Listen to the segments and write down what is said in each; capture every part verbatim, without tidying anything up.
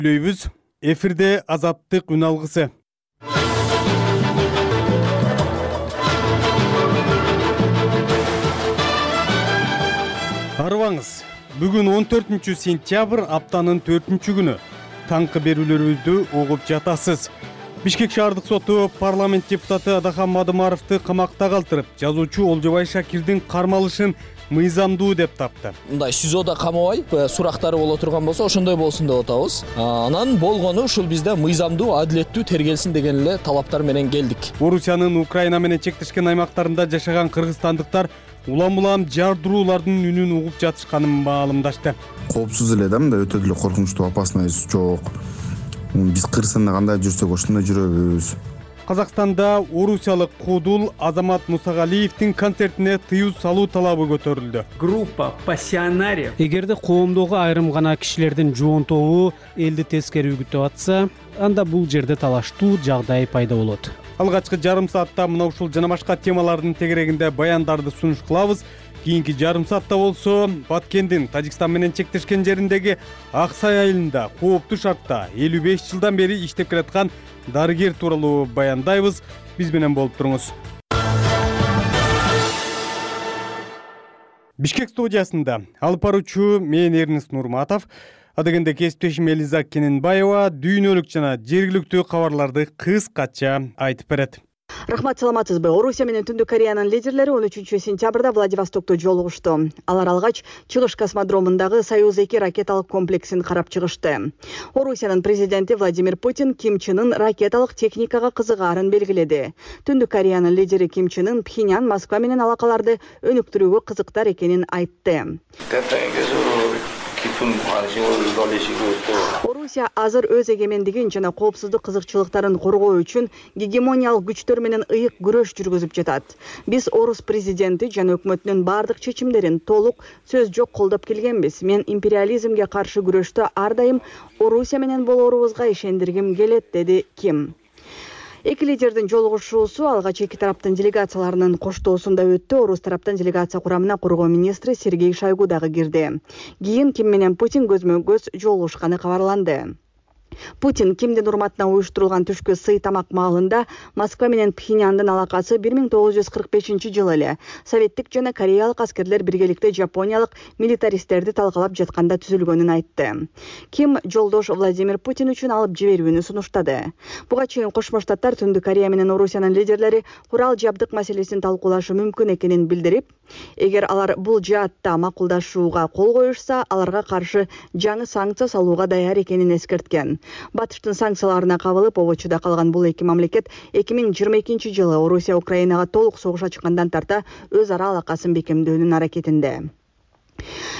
Үлөйбүз эфирде Азаттык үн алгысы. Арыбаңыз, бүгүн он төртүнчү сентябрь, аптанын төртүнчү күнү. Таңкы берүүлөрүбүздү угуп жатасыз. Бишкек шаардык соту парламент депутаты Адахан Мадумаровду камакта калтырып, жазуучу Олжобай Шакирдин кармалышын мыйзамдуу деп тапты. Мындай СИЗОдо камабай, сурактары боло турган болсо, ошондой болсун деп атабыз. Анан болгону ушул бизде мыйзамдуу, адилеттүү тергелсин деген эле талаптар менен келдик. Орусиянын Украина менен чектешкен аймактарында жашаган кыргызстандыктар улам-улам жардыруулардын үнүн угуп жатышканын маалымдашты. Коопсуз эле да, мындай өтө деле коркунучтуу, опасныйсы жок. Биз Кыргызстанда кандай жүрсөк ошондой жүрөбүз. Казакстанда орусиялык куудул Азамат Мусагалиевдин концертине тыюу салуу талабы көтөрүлдү. Группа пассионариев. Эгерде коомдогу айрым гана кишилердин жоон тобу элди тескери үгүтүп атса, анда бул жерде талаштуу жагдай пайда болот. Алгачкы жарым саатта мына ушул жана башка темалардын тегерегинде баяндарды сунуш кылабыз. Кийинки жарым саатта болсо Баткендин Тажикстан менен чектешкен жериндеги Ак Сай айылында кооптуу шартта элүү беш жылдан бери иштеп келаткан дарыгер тууралуу баяндайбыз. Биз менен болуп туруңуз. Бишкек студиясында алып баруучу мен Эрнест Нурматов, адегенде кесиптешим Элиза Кененбаева дүйнөлүк жана жергиликтүү кабарларды кыскача айтып берет. Рахмат, саламатсызбы? Орусия менен Түндүк Кореянын лидерлери он үчүнчү сентябрда Владивостокто жолугушту. Алар алгач чыгыш космодромундагы Союз эки ракеталык комплексин карап чыгышты. Орусиянын президенти Владимир Путин Ким Чен Ын ракеталык техникага кызыгаарын белгиледи. Түндүк Кореянын лидери Ким Чен Ын Пхеньян Москва менен алакаларды өнүктүрүүгө кызыктар экенин айтты. Орусия азыр өз эгемендигин жана коопсуздук кызыкчылыктарын коргоо үчүн гегемониялык күчтөр менен ыйык күрөш жүргүзүп жатат. Биз орус президенти жана өкмөтүнүн бардык чечимдерин толук сөз жок колдоп келгенбиз. Мен империализмге каршы күрөштө ар дайым Орусия менен болоорубузга ишендиргим келет, деди Ким. Эки лидердин жолугушуусу алгач эки тараптын делегацияларынын коштоосунда өттү. Орус тараптын делегация курамына коргоо министри Сергей Шойгу дагы кирди. Кийин Ким менен Путин көзмө-көз жолугушканы кабарланды. Путин Кимдин урматына уюштурулган түшкү сый тамак маалында Москва менен Пхеньяндын алакасы бир миң тогуз жүз кырк бешинчи жылы эле советтик жана кореялык аскерлер биргеликте жапониялык милитаристтерди талкалап жатканда түзүлгөнүн айтты. Ким жолдош Владимир Путин үчүн алып жиберүүнү сунуштады. Буга чейин Кошмо Штаттар Түндүк Корея менен Орусиянын лидерлери курал жабдык маселесин талкуулашы мүмкүн экенин билдирип, эгер алар бул жаатта макулдашууга кол коюшса, аларга каршы жаңы санкция салууга даяр экенин эскерткен. Батыштын санкцияларына кабылып обочуда калган бул эки мамлекет эки миң жыйырма экинчи жылы Орусия Украинага толук согуш ачкандан тарта өз ара алакасын бекемдөөнүн аракетинде.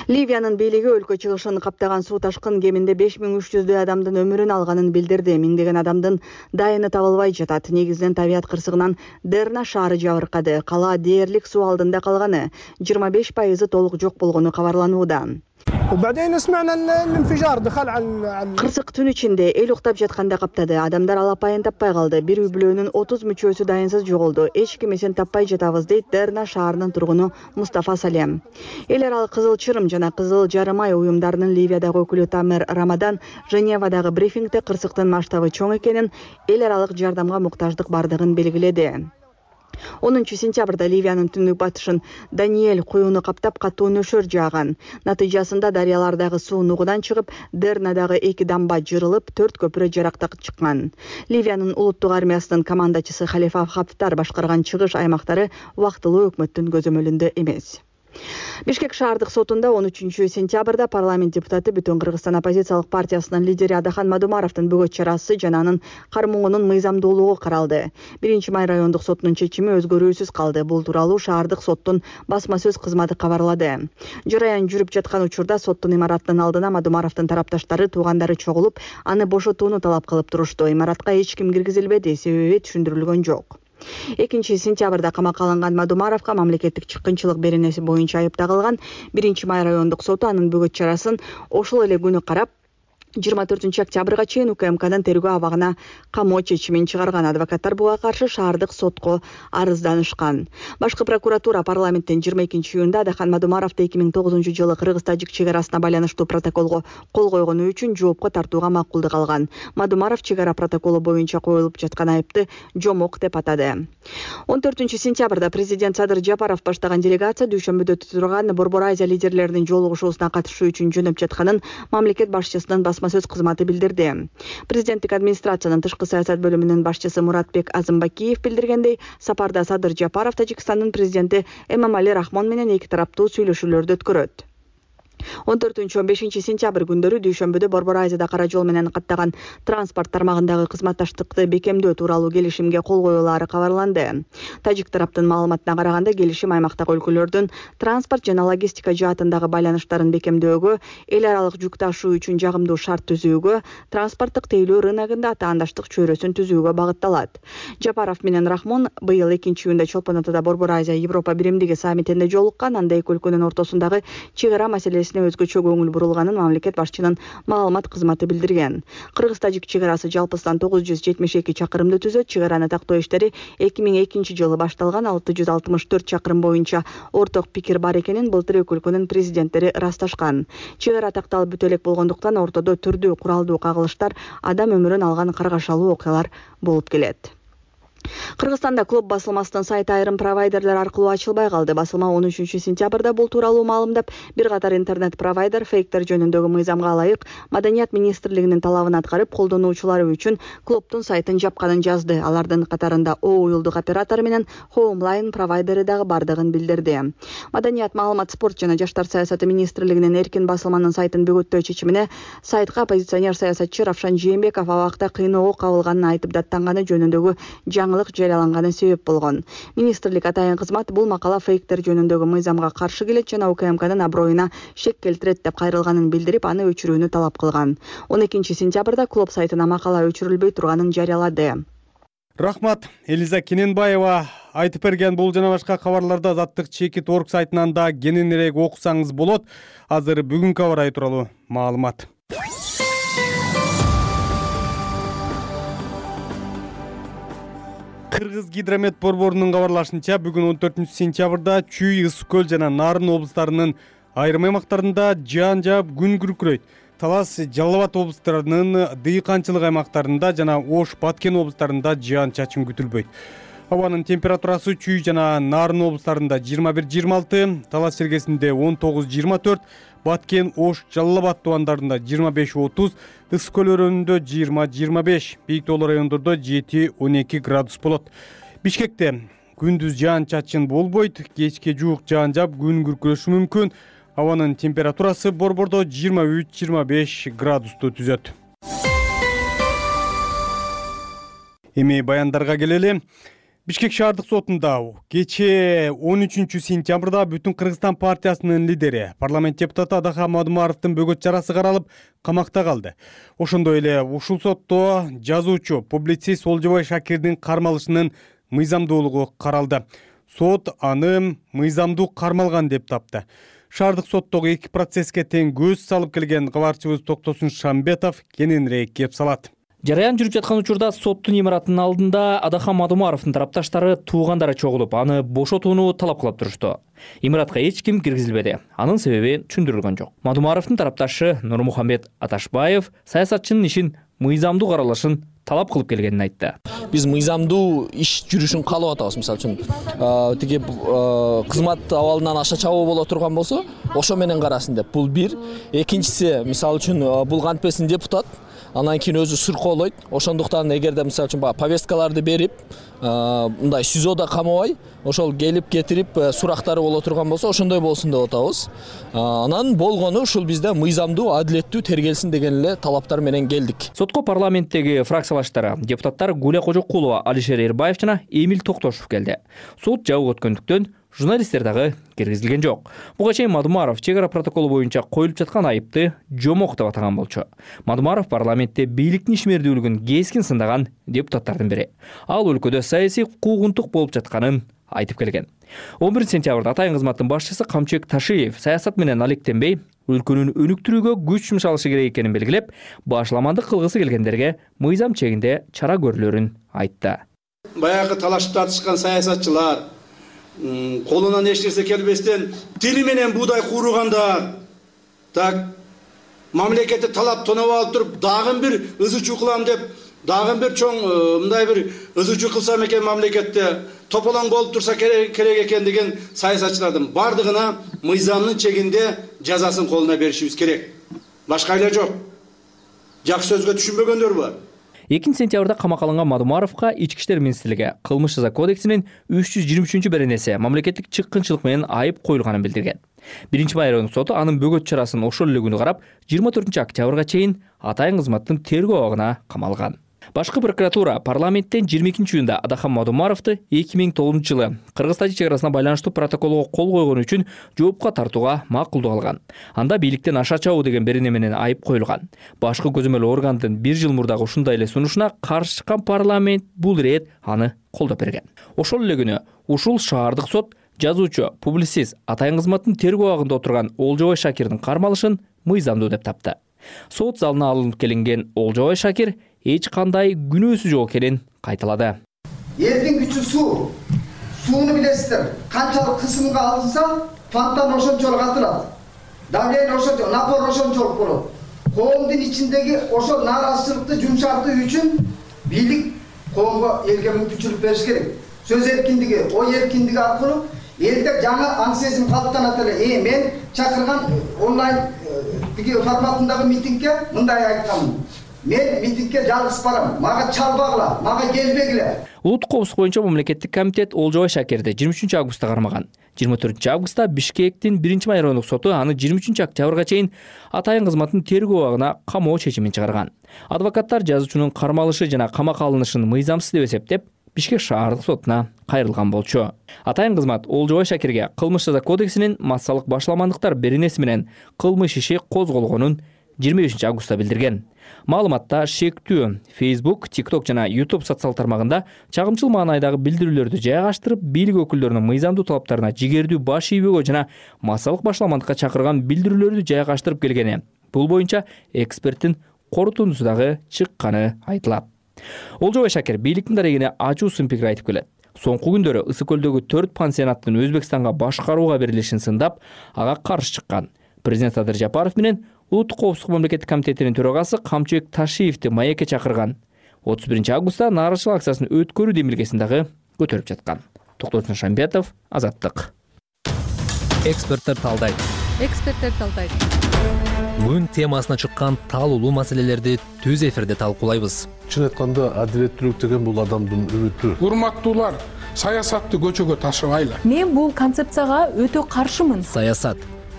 Ливиянын бийлиги өлкө чыгышын каптаган суу ташкын кеминде беш миң үч жүздөй адамдын өмүрүн алганын билдирди. Миңдеген адамдын дайыны табылбай жатат. Негизинен табият кырсыгынан Дерна шаары жабыркады. Кала дээрлик суу алдында калганы, жыйырма беш пайызы толук жок болгону кабарланууда. Кырсык түн ичинде эл уктап жатканда каптады. Адамдар алапайын таппай калды. Бир үй бүлөнүн отуз мүчөсү дайынсыз жоголду. Эч ким эсен таппай жатабыз, дейт Дерна шаарынын тургуну Мустафа Салем. Эл аралык Кызыл Чырым жана Кызыл Жарым ай уюмдарынын Ливиядагы өкүлү Тамер Рамадан Женевадагы брифингде кырсыктын масштабы чоң экенин, эл аралык жардамга муктаждык бардыгын белгиледи. онунчу сентябрда Ливиянын түндүк батышын Даниэль куюну каптап катуу нөшөр жааган. Натыйжасында дарыялардагы суу нугудан чыгып, Дернадагы эки дамба жырылып, төрт көпүрө жарактак чыккан. Ливиянын улуттук армиясынын командачысы Халифа Хафтар башкарган чыгыш аймактары убактылуу өкмөттүн көзөмөлүндө эмес. Бишкек шаардык сотунда он үчүнчү сентябрда парламент депутаты Бүтүн Кыргызстан оппозициялык партиясынын лидери Адахан Мадумаровдун бөгөт чарасы жана анын кармоону мыйзамдуулугу каралды. Биринчи май райондук сотунун чечими өзгөрүүсүз калды. Бул тууралуу шаардык соттун басма сөз кызматы кабарлады. Жараян жүрүп жаткан учурда соттун имаратынын алдына Мадумаровдун тарапташтары, туугандары чогулуп, аны бошотууну талап кылып турушту. Имаратка эч ким киргизилбеди, себеби түшүндүрүлгөн жок. экинчи сентябрда камакка алынган Мадумаровго мамлекеттик чыккынчылык беренеси боюнча айып тагылган. Биринчи май райондук соту анын бөгөт чарасын ошол эле күнү карап, жыйырма төртүнчү октябрга чейин УКМКнын тергөө абагына камоо чечимин чыгарган. Адвокаттар буга каршы шаардык сотко арызданышкан. Башкы прокуратура парламенттин жыйырма экинчи июнда Адахан Мадумаровду эки миң тогузунчу жылы кыргыз-тажик чек арасына байланыштуу протоколго кол койгону үчүн жоопко тартууга макулдук алган. Мадумаров чек ара протоколу боюнча коюлуп жаткан айыпты жомок деп атады. он төртүнчү сентябрда президент Садыр Жапаров баштаган делегация дүйшөмбүдө турган Борбор Азия лидерлеринин жолугушуусуна катышуу үчүн жөнөп жатканын мамлекет башчысынын басма сөз кызматы билдирди. Президенттик администрациянын тышкы саясат бөлүмүнүн башчысы Муратбек Азымбакиев билдиргендей, сапарда Садыр Жапаров Тажикстандын президенти Эмомали Рахмон менен эки тараптуу сүйлөшүүлөрдү өткөрөт. он төртүнчү он бешинчи сентябрь күндөрү дүйшөмбүдө Борбор Азияда кара жол менен каттаган транспорт тармагындагы кызматташтыкты бекемдөө тууралуу келишимге кол коюлаары кабарланды. Тажик тараптын маалыматына караганда, келишим аймактагы өлкөлөрдүн транспорт жана логистика жаатындагы байланыштарын бекемдөөгө, эл аралык жүк ташуу үчүн жагымдуу шарт түзүүгө, транспорттук тейлөө рыногунда таандаштык чөйрөсүн түзүүгө багытталат. Жапаров менен Рахмон быйыл экинчи июнда Чолпон Атада Борбор Азия Европа биримдиги саммитинде жолуккан. Анда эки өлкөнүн ортосундагы чек ара маселеси өзгөчө көңүл бурулганын мамлекет башчынын маалымат кызматы билдирген. Кыргыз-тажик чек арасы жалпысынан тогуз жүз жетимиш эки чакырымды түзөт. Чек араны тактоо иштери эки миң экинчи жылы башталган. алты жүз алтымыш төрт чакырым боюнча орток пикир бар экенин былтыр эки өлкөнүн президенттери ырасташкан. Чек ара такталып бүтө элек болгондуктан ортодо түрдүү куралдуу кагылыштар, адам өмүрүн алган каргашалуу окуялар болуп келет. Кыргызстанда клуб басылмасынын сайты айрым провайдерлер аркылуу ачылбай калды. Басылма он үчүнчү сентябрда бул тууралуу маалымдап, бир катар интернет-провайдер фейктер жөнүндөгү мыйзамга ылайык Маданият министрлигинин талабын аткарып, колдонуучулары үчүн клубдун сайтын жапканын жазды. Алардын катарында О уюлдук оператор менен Homeline провайдери дагы бардыгын билдирди. Маданият, маалымат, спорт жана жаштар саясаты министрлигинин эркин басылманын сайтын бөгөттөө чечимине сайтка оппозиционер саясатчы Равшан Жээнбеков абакта кыйноого кабылганын айтып даттанганы жөнүндөгү жаңылык жарыяланганы себеп болгон. Министрлик атайын кызмат бул макала фейктер жөнүндөгү мыйзамга каршы келет жана УКМКнын аброюна шек келтирет деп кайрылганын билдирип, аны өчүрүүнү талап кылган. он экинчи сентябрда клуб сайтына макала өчүрүлбөй турганын жарыялады. Рахмат, Элиза Кененбаева айтып берген. Бул жана башка кабарларды Азаттык чекит орг сайтынан да кененирээк окусаңыз болот. Азыр бүгүнкү аба ырайы тууралуу маалымат. Кыргыз гидромет борборунун кабарлашынча, бүгүн он төртүнчү сентябрда Чүй, Ысык көл жана Нарын облустарынын айрым аймактарында жаан жаап күн күркүрөйт. Талас, Жалал Абад облустарынын дыйканчылык аймактарында жана Ош, Баткен облустарында жаан чачын күтүлбөйт. Абанын температурасы Чүй жана Нарын облустарында жыйырма бир жыйырма алты, Талас жергесинде он тогуз жыйырма төрт, Баткен, Ош, Жалал Абад тубандарында жыйырма беш отуз, Ысык көл өрөөнүндө жыйырма жыйырма беш, бийик тоолуу райондордо жети он эки градус болот. Бишкекте күндүз жаан чачын болбойт, кечке жуук жаан жаап күн күркүрөшү мүмкүн. Абанын температурасы борбордо жыйырма үч жыйырма беш градусту түзөт. Эми баяндарга келели. Бишкек шаардык сотунда кечээ он үчүнчү сентябрда Бүтүн Кыргызстан партиясынын лидери, парламент депутаты Адахан Мадумаровдун бөгөт чарасы каралып, камакта калды. Ошондой эле ушул сотто жазуучу, публицист Олжобой Шакирдин кармалышынын мыйзамдуулугу каралды. Сот аны мыйзамдуу кармалган деп тапты. Шаардык соттогу эки процесске тең көз салып келген кабарчыбыз Токтосун Шамбетов кененирээк кеп салат. Жараян жүрүп жаткан учурда соттун имаратынын алдында Адахан Мадумаровдун тарапташтары туугандары чогулуп, аны бошотууну талап кылып турушту. Имаратка эч ким киргизилбеди. Анын себеби түшүндүрүлгөн жок. Мадумаровдун тарапташы Нурмухаммед Аташбаев саясатчынын ишин мыйзамдуу каралышын талап кылып келгенин айтты. Биз мыйзамдуу иш жүрүшүн каалап атабыз. Мисалы үчүн тиги кызмат абалынан аша чабуу боло турган болсо, ошо менен карасын деп. Бул бир. Экинчиси, мисалы үчүн бул кантпесин депутат, анан кийин өзү сыркоолойт. Ошондуктан эгерде мисалы үчүн баягы повесткаларды берип, мындай СИЗОдо камабай, ошол келип кетирип сурактары боло турган болсо, ошондой болсун деп атабыз. Анан болгону ушул бизде мыйзамдуу, адилеттүү тергелсин деген эле талаптар менен келдик. Сотко парламенттеги фракциялаштар, депутаттар Гуля Кожокулова, Алишер Эрбаев жана Эмил Токтошев келди. Сот жабык өткөндүктөн журналисттер дагы киргизилген жок. Буга чейин Мадумаров чек ара протоколу боюнча коюлуп жаткан айыпты жомок деп атаган болчу. Мадумаров парламентте бийликтин ишмердүүлүгүн кескин сындаган депутаттардын бири. Ал өлкөдө саясий куугунтук болуп жатканын айтып келген. он биринчи сентябрда Атайын кызматтын башчысы Камчыбек Ташиев саясат менен алектенбей, өлкөнүн өнүктүрүүгө күч жумшалышы керек экенин белгилеп, башламандык кылгысы келгендерге мыйзам чегинде чара көрүлөрүн айтты. Баягы талашып тартышкан саясатчылар, колунан эч нерсе келбестен тили менен буудай кууругандар, так мамлекетти талап тоноп алып туруп, дагы бир ызы чуу кылам деп, дагы бир чоң мындай бир ызы чуу кылсам экен мамлекетте тополоң болуп турса керек экен деген саясатчылардын бардыгына мыйзамдын чегинде жазасын колуна беришибиз керек. Башка эле жок. Жакшы сөзгө түшүнбөгөндөр бар. экинчи сентябрда камакка алынган Мадумаровго Ички иштер министрлиги кылмыш жаза кодексинин үч жүз жыйырма үчүнчү беренеси мамлекеттик чыккынчылык менен айып коюлганын билдирген. Биринчи май райондук соту анын бөгөт чарасын ошол эле күнү карап, жыйырма төртүнчү октябрга чейин Атайын кызматтын тергөө абагына камалган. Башкы прокуратура парламенттен жыйырма экинчи июнда Адахан Мадумаровду эки миң тогузунчу жылы Кыргыз-Тажик чек арасына байланыштуу протоколго кол койгону үчүн жоопко тартууга макулдук алган. Анда бийликтен аша чабуу деген берене менен айып коюлган. Башкы көзөмөл органдын бир жыл мурдагы ушундай эле сунушуна каршы чыккан парламент бул ирет аны колдоп берген. Ошол эле күнү ушул шаардык сот жазуучу, публицист, Атайын кызматтын тергөө абагында отурган Олжобой Шакирдин кармалышын мыйзамдуу деп тапты. Сот залына алынып келинген Олжобой Шакир эч кандай күнөөсү жок экенин кайталады. Элдин күчү суу. Сууну билесиздер. Канчалык кысымга алынса, фонтан ошончолук атылат. Давление ошончолук, напор ошончолук болот. Коомдун ичиндеги ошол нааразычылыкты жумшартуу үчүн бийлик коомго элге мүмкүнчүлүк бериш керек. Сөз эркиндиги, ой эркиндиги аркылуу элде жаңы аң сезим калыптанат эле. Э, мен чакырган онлайн тиги форматындагы митингге мындай айтканмын. Мен митингге жалгыз барам. Мага чалбагыла, мага келбегиле. Улуттук коопсуздук боюнча мамлекеттик комитет Олжобой Шакирди жыйырма үчүнчү августта кармаган. жыйырма төртүнчү августта Бишкектин биринчи май райондук соту аны жыйырма үчүнчү октябрга чейин Атайын кызматтын тергөө абагына камоо чечимин чыгарган. Адвокаттар жазуучунун кармалышы жана камакка алынышын мыйзамсыз деп эсептеп, Бишкек шаардык сотуна кайрылган болчу. Атайын кызмат Олжобой Шакирге кылмыш жаза кодексинин массалык башламандыктар беренеси менен кылмыш иши козголгонун жыйырма бешинчи августта билдирген. Маалыматта шектүү Facebook, TikTok жана YouTube социал тармагында чагымчыл маанайдагы билдирүүлөрдү жайгаштырып, бийлик өкүлдөрүнүн мыйзамдуу талаптарына жигердүү баш ийбөгө жана массалык башламандыкка чакырган билдирүүлөрдү жайгаштырып келгени. Бул боюнча эксперттин корутундусу дагы чыкканы айтылат. Олжобой Шакир бийликтин дарегине ачуусун пикир айтып келет. Соңку күндөрү Ысык көлдөгү төрт пансионаттын Өзбекстанга башкарууга берилишин сындап, ага каршы чыккан. Президент Садыр Жапаров менен Улуттук коопсуздук мамлекеттик комитетинин төрагасы Камчыбек Ташиевди маекке чакырган. отуз биринчи августта нааразычылык акциясын өткөрүү демилгесин дагы көтөрүп жаткан. Токтосун Шамбетов, Азаттык. Эксперттер талдайт. Эксперттер талдайт. Күн темасына чыккан таалуулуу маселелерди түз эфирде талкуулайбыз. Чын айтканда, адилеттүүлүк деген бул адамдын үмүтү. Урматтуулар, саясатты көчөгө ташыбайлы. Мен бул концепцияга өтө каршымын. Саясат,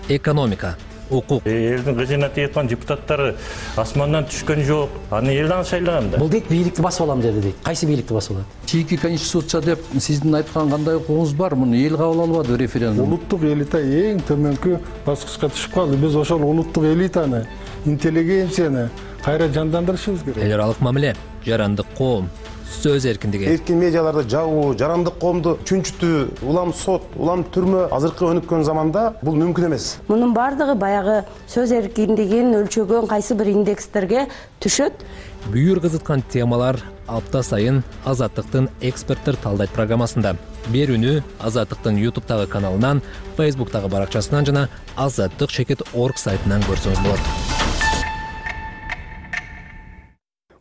экономика, укук. Элдин кызына тийеткан депутаттары асмандан түшкөн жок. Аны элден шайлаган да. Бул дейт бийликти басып алам деди дейт. Кайсы бийликти басып алат? Чийки конституция деп сиздин айткан кандай укугуңуз бар? Муну эл кабыл албады референдум. Улуттук элита эң төмөнкү баскычка түшүп калды. Биз ошол улуттук элитаны, интеллигенцияны кайра жандандырышыбыз керек. Эл аралык мамиле, жарандык коом, сөз эркиндиги. Эркин медиаларды жабуу, жарандык коомду чүнчүтүү, улам сот, улам түрмө азыркы өнүккөн заманда бул мүмкүн эмес. Мунун бардыгы баягы сөз эркиндигин өлчөгөн кайсы бир индекстерге түшөт. Бүйүр кызыткан темалар апта сайын Азаттыктын эксперттер талдайт программасында. Берүүнү Азаттыктын YouTube'тагы каналынан, Facebook'тагы баракчасынан жана азаттык чекит точка орг сайтынан көрсөңүз болот.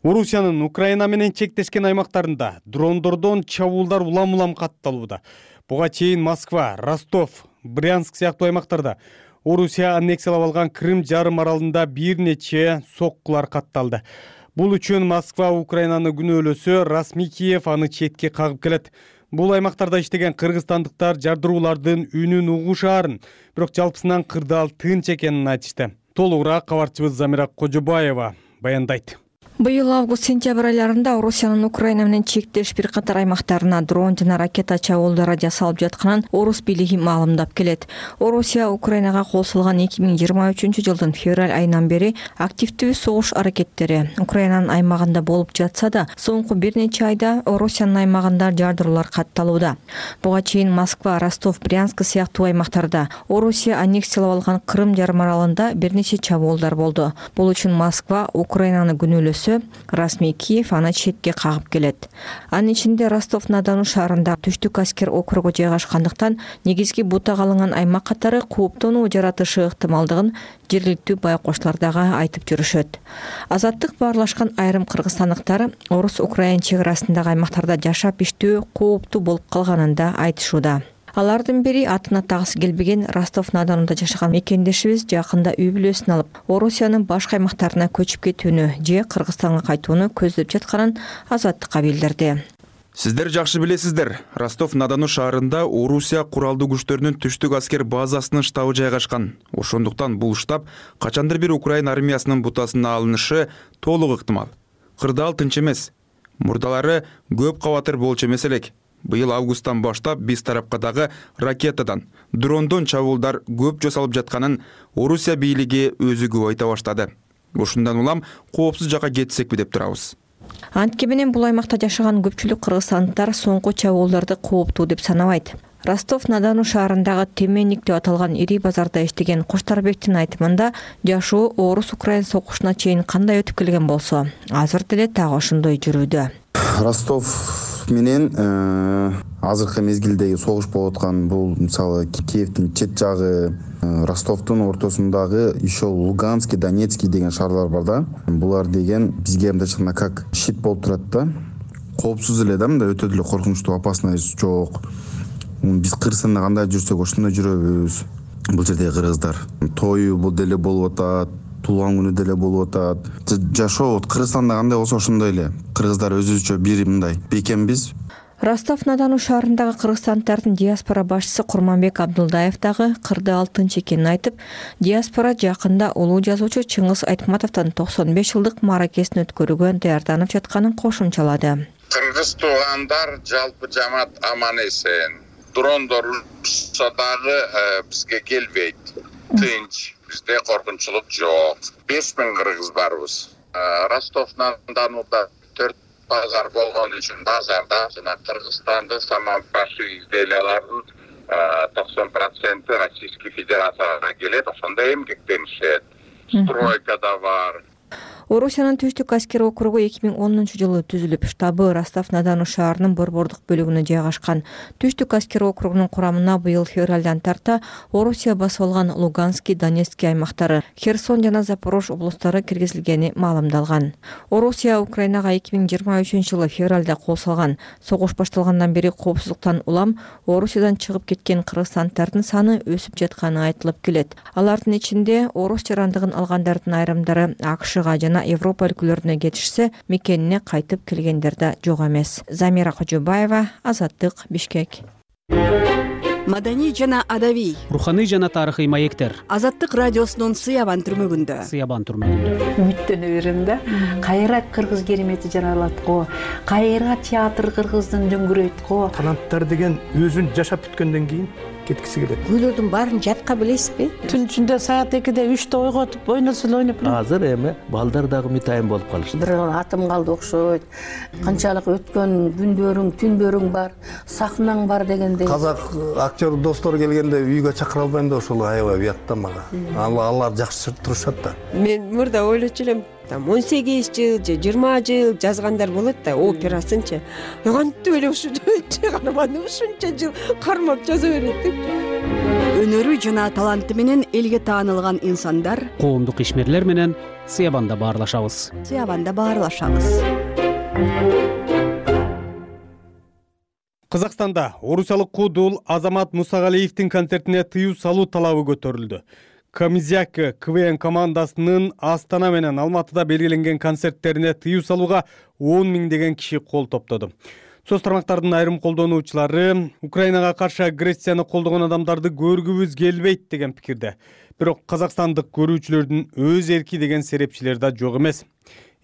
Орусиянын Украина менен чектешкен аймактарында дрондордон чабуулдар улам-улам катталууда. Буга чейин Москва, Ростов, Брянск сыяктуу аймактарда Орусия аннексиялап алган Крым жарым аралында бир нече соккулар катталды. Бул үчүн Москва Украинаны күнөөлөсө, расмий Киев аны четке кагып келет. Бул аймактарда иштеген кыргызстандыктар жардыруулардын үнүн угушаарын, бирок жалпысынан кырдаал тынч экенин айтышты. Толугураак кабарчыбыз Замира Кожобаева баяндайт. Быйыл август-сентябрь айларында Орусиянын Украина менен чектеш бир катар аймактарына дрон жана ракета чабуулдары жасалып жатканын орус бийлиги маалымдап келет. Орусия Украинага кол салган эки миң жыйырма үчүнчү жылдын февраль айынан бери активдүү согуш аракеттери Украинанын аймагында болуп жатса да, соңку бир нече айда Орусиянын аймагында жардыруулар катталууда. Буга чейин Москва, Ростов, Брянск сыяктуу аймактарда Орусия аннексиялап алган Крым жарым аралында бир нече чабуулдар болду. Бул үчүн Москва Украинаны күнөөлөсө, расмий Киев аны четке кагып келет. Анын ичинде Ростов-на-Дону шаарында түштүк аскер округу жайгашкандыктан негизги бутага алынган аймак катары кооптонуу жаратышы ыктымалдыгын жергиликтүү байкочлор дагы айтып жүрүшөт. Азаттык баарлашкан айрым кыргызстандыктар орус-украин чек арасындагы аймактарда жашап иштөө кооптуу болуп калганын да айтышууда. Алардын бири атын атагысы келбеген Ростов-на-Донуда жашаган мекендешибиз жакында үй бүлөсүн алып, Орусиянын башка аймактарына көчүп кетүүнү же Кыргызстанга кайтууну көздөп жатканын Азаттыкка билдирди. Сиздер жакшы билесиздер, Ростов-на-Дону шаарында Орусия куралдуу күчтөрүнүн түштүк аскер базасынын штабы жайгашкан. Ошондуктан бул штаб качандыр бир Украин армиясынын бутасына алынышы толук ыктымал. Кырдаал тынч эмес. Мурдалары көп кабатыр болчу эмес элек. Быйыл августтан баштап биз тарапка дагы ракетадан, дрондон чабуулдар көп жасалып жатканын Орусия бийлиги өзү көп айта баштады. Ошундан улам коопсуз жакка кетсекпи деп турабыз. Антке менен бул аймакта жашаган көпчүлүк кыргызстандыктар соңку чабуулдарды кооптуу деп санабайт. Ростов-на-Дону шаарындагы Теменник деп аталган ири базарда иштеген Куштарбектин айтымында жашоо орус-украин согушуна чейин кандай өтүп келген болсо, азыр деле так ошондой жүрүүдө. Ростов менен азыркы мезгилдеги согуш болуп аткан бул мисалы Киевдин чет жагы, Ростовдун ортосундагы еще Луганский, Донецкий деген шаарлар бар да. Булар деген бизге мындайча как щит болуп турат да. Коопсуз эле да, мындай өтө деле коркунучтуу, опасность жок. Биз Кыргызстанда кандай жүрсөк ошондой жүрөбүз. Бул жердеги кыргыздар тою бул деле болуп атат, туулган күнү деле болуп атат. Жашоо Кыргызстанда кандай болсо ошондой эле. Кыргыздар өзүбүзчө бир мындай бекембиз. Ростов-на-Дону шаарындагы кыргызстандардын диаспора башчысы Курманбек Абдулдаев дагы кырды алтынчы экенин айтып, диаспора жакында улуу жазуучу Чыңгыз Айтматовдон токсон беш жылдык мааракесин өткөрүүгө даярданып жатканын кошумчалады. Кыргыз туугандар жалпы жамаат аман эсен. Дрондор урушса дагы бизге келбейт. Тынч, бизде коркунучулук жок. беш миң кыргыз барбыз. Ростов-на-Донуда төрт базар болгон үчүн базарда жана Кыргызстанды саман башы изделиялардын токсон проценти Российский Федерацияга келет, ошондо эмгектенишет. Стройка да бар. Орусиянын түштүк аскер округу эки миң онунчу жылы түзүлүп, штабы Ростов-на-Дону шаарынын борбордук бөлүгүнө жайгашкан. Түштүк аскер округунун курамына быйыл февралдан тарта Орусия басып алган Луганский, Донецкий аймактары, Херсон жана Запорож облустары киргизилгени маалымдалган. Орусия Украинага эки миң жыйырма үчүнчү жылы февралда кол салган. Согуш башталгандан бери коопсуздуктан улам Орусиядан чыгып кеткен кыргызстандардын саны өсүп жатканы айтылып келет. Алардын ичинде орус жарандыгын алгандардын айрымдары АКШга жана Европа өлкөлөрүнө кетишсе, мекенине кайтып келгендер да жок эмес. Замира Кожобаева, Азаттык, Бишкек. Маданий жана адабий, руханий жана тарыхый маектер. Азаттык радиосунун Сыябан түрмөгүндө. Сыябан түрмөгүндө. Үмүттөнө берем да. Кайра кыргыз керемети жаралат го. Кайра театр кыргыздын дөңгүрөйт го. Таланттар деген өзүн жашап бүткөндөн кийин кеткиси келет. Күйлөрдүн баарын жатка билесизби? Түн ичинде саат экиде үчтө ойготуп ойносо эле ойноп. Азыр эми балдар дагы мытайын болуп калышты. Бир атым калды окшойт. Канчалык өткөн күндөрүң, түндөрүң бар, сахнаң бар дегендей. Казак актер достор келгенде үйгө чакыра албайм да ошол аябай уятта мага. Алар жакшы турушат да. Мен мурда ойлочу элем, там он сегиз жыл же жыйырма жыл жазгандар болот да, операсынчы. Кантип эле ушунча каарманды ушунча жыл кармап жаза берет деп. Өнөрү жана таланты менен элге таанылган инсандар коомдук ишмерлер менен Сыябанда баарлашабыз. Сыябанда баарлашабыз. Казакстанда орусиялык куудул Азамат Мусагалиевдин концертине тыюу салуу талабы көтөрүлдү. Камизяк КВН командасынын Астана менен Алматыда белгиленген концерттерине тыюу салууга он миңдеген киши кол топтоду. Соц тармактардын айрым колдонуучулары Украинага каршы агрессияны колдогон адамдарды көргүбүз келбейт деген пикирде. Бирок казакстандык көрүүчүлөрдүн өз эрки деген серепчилер да жок эмес.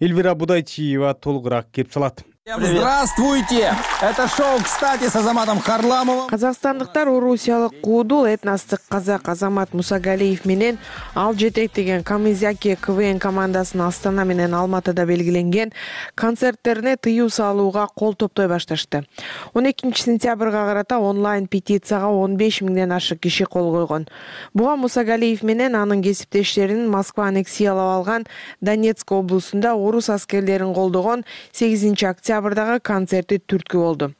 Эльвира Будайчиева толугураак кеп салат. Здравствуйте! Это шоу «Кстати» с Азаматом Харламовым. Казакстандыктар орусиялык куудул этностук казак Азамат Мусагалиев менен ал жетектеген Камызяки КВН командасынын Астана менен Алматыда белгиленген концерттерине тыюу салууга кол топтой башташты. он экинчи сентябрга карата онлайн петицияга он беш миңден ашык киши кол койгон. Буга Мусагалиев менен анын кесиптештеринин Москва аннексиялап алган Донецк облусунда орус аскерлерин колдогон сегизинчи октябрдагы концерти түрткү болду.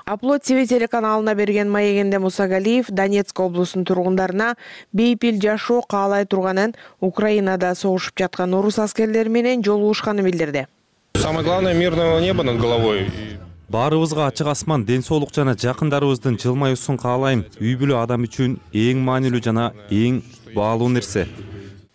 Аплод ТВ телеканалына берген маегинде Мусагалиев Донецк облусунун тургундарына бейпил жашоо каалай турганын, Украинада согушуп жаткан орус аскерлери менен жолугушканын билдирди. Самое главное — мирного неба над головой. Баарыбызга ачык асман, ден соолук жана жакындарыбыздын жылмаюусун каалайм. Үй бүлө адам үчүн эң маанилүү жана эң баалуу нерсе,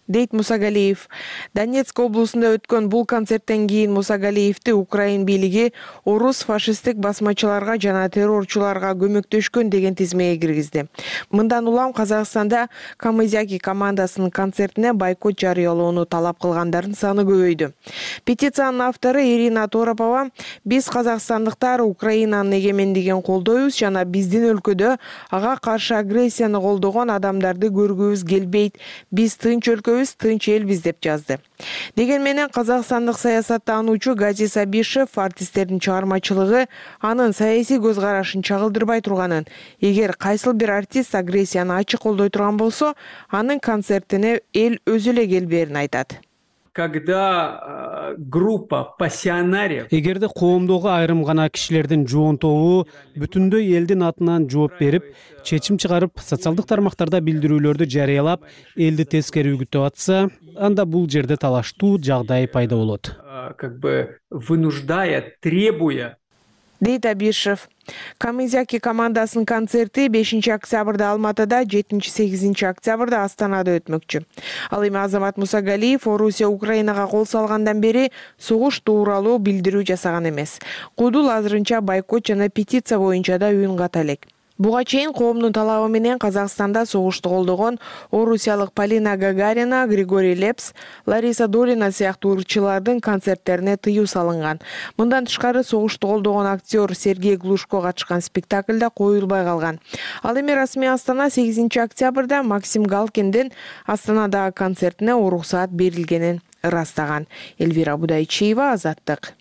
дейт Мусагалиев. Донецк облусунда өткөн бул концерттен кийин Мусагалиевди Украин бийлиги орус фашисттик басмачыларга жана террорчуларга көмөктөшкөн деген тизмеге киргизди. Мындан улам Казакстанда Камызяки командасынын концертине бойкот жарыялоону талап кылгандардын саны көбөйдү. Петициянын автору Ирина Торопова: биз казакстандыктар Украинанын эгемендигин колдойбуз жана биздин өлкөдө ага каршы агрессияны колдогон адамдарды көргүбүз келбейт. Биз тынч өлкөбүз, тынч элбиз деп жазды. Деген менен казакстандык саясаттануучу Гази Сабишев артисттердин чыгармачылыгы анын саясий көз карашын чагылдырбай турганын, эгер кайсыл бир артист агрессияны ачык колдой турган болсо, анын концертине эл өзү эле келбээрин айтат. Когда группа пассионариев, эгерде коомдогу айрым гана кишилердин жоон тобу бүтүндөй элдин атынан жооп берип, чечим чыгарып, социалдык тармактарда билдирүүлөрдү жарыялап, элди тескери үгүттөп атса, анда бул жерде талаштуу жагдай пайда болот. Как бы вынуждая, требуя, дейт Абишев. Камызяки командасынын концерти бешинчи октябрда Алматыда, жетинчи сегизинчи октябрда Астанада өтмөкчү. Ал эми Азамат Мусагалиев Орусия Украинага кол салгандан бери согуш тууралуу билдирүү жасаган эмес. Куудул азырынча бойкот жана петиция боюнча да үн ката элек. Буга чейин коомдун талабы менен Казакстанда согушту колдогон орусиялык Полина Гагарина, Григорий Лепс, Лариса Долина сыяктуу ырчылардын концерттерине тыюу салынган. Мындан тышкары согушту колдогон актер Сергей Глушко катышкан спектаклда коюлбай калган. Ал эми расмий Астана сегизинчи октябрда Максим Галкиндин Астанадагы концертине уруксаат берилгенин ырастаган. Эльвира Будайчиева, Азаттык.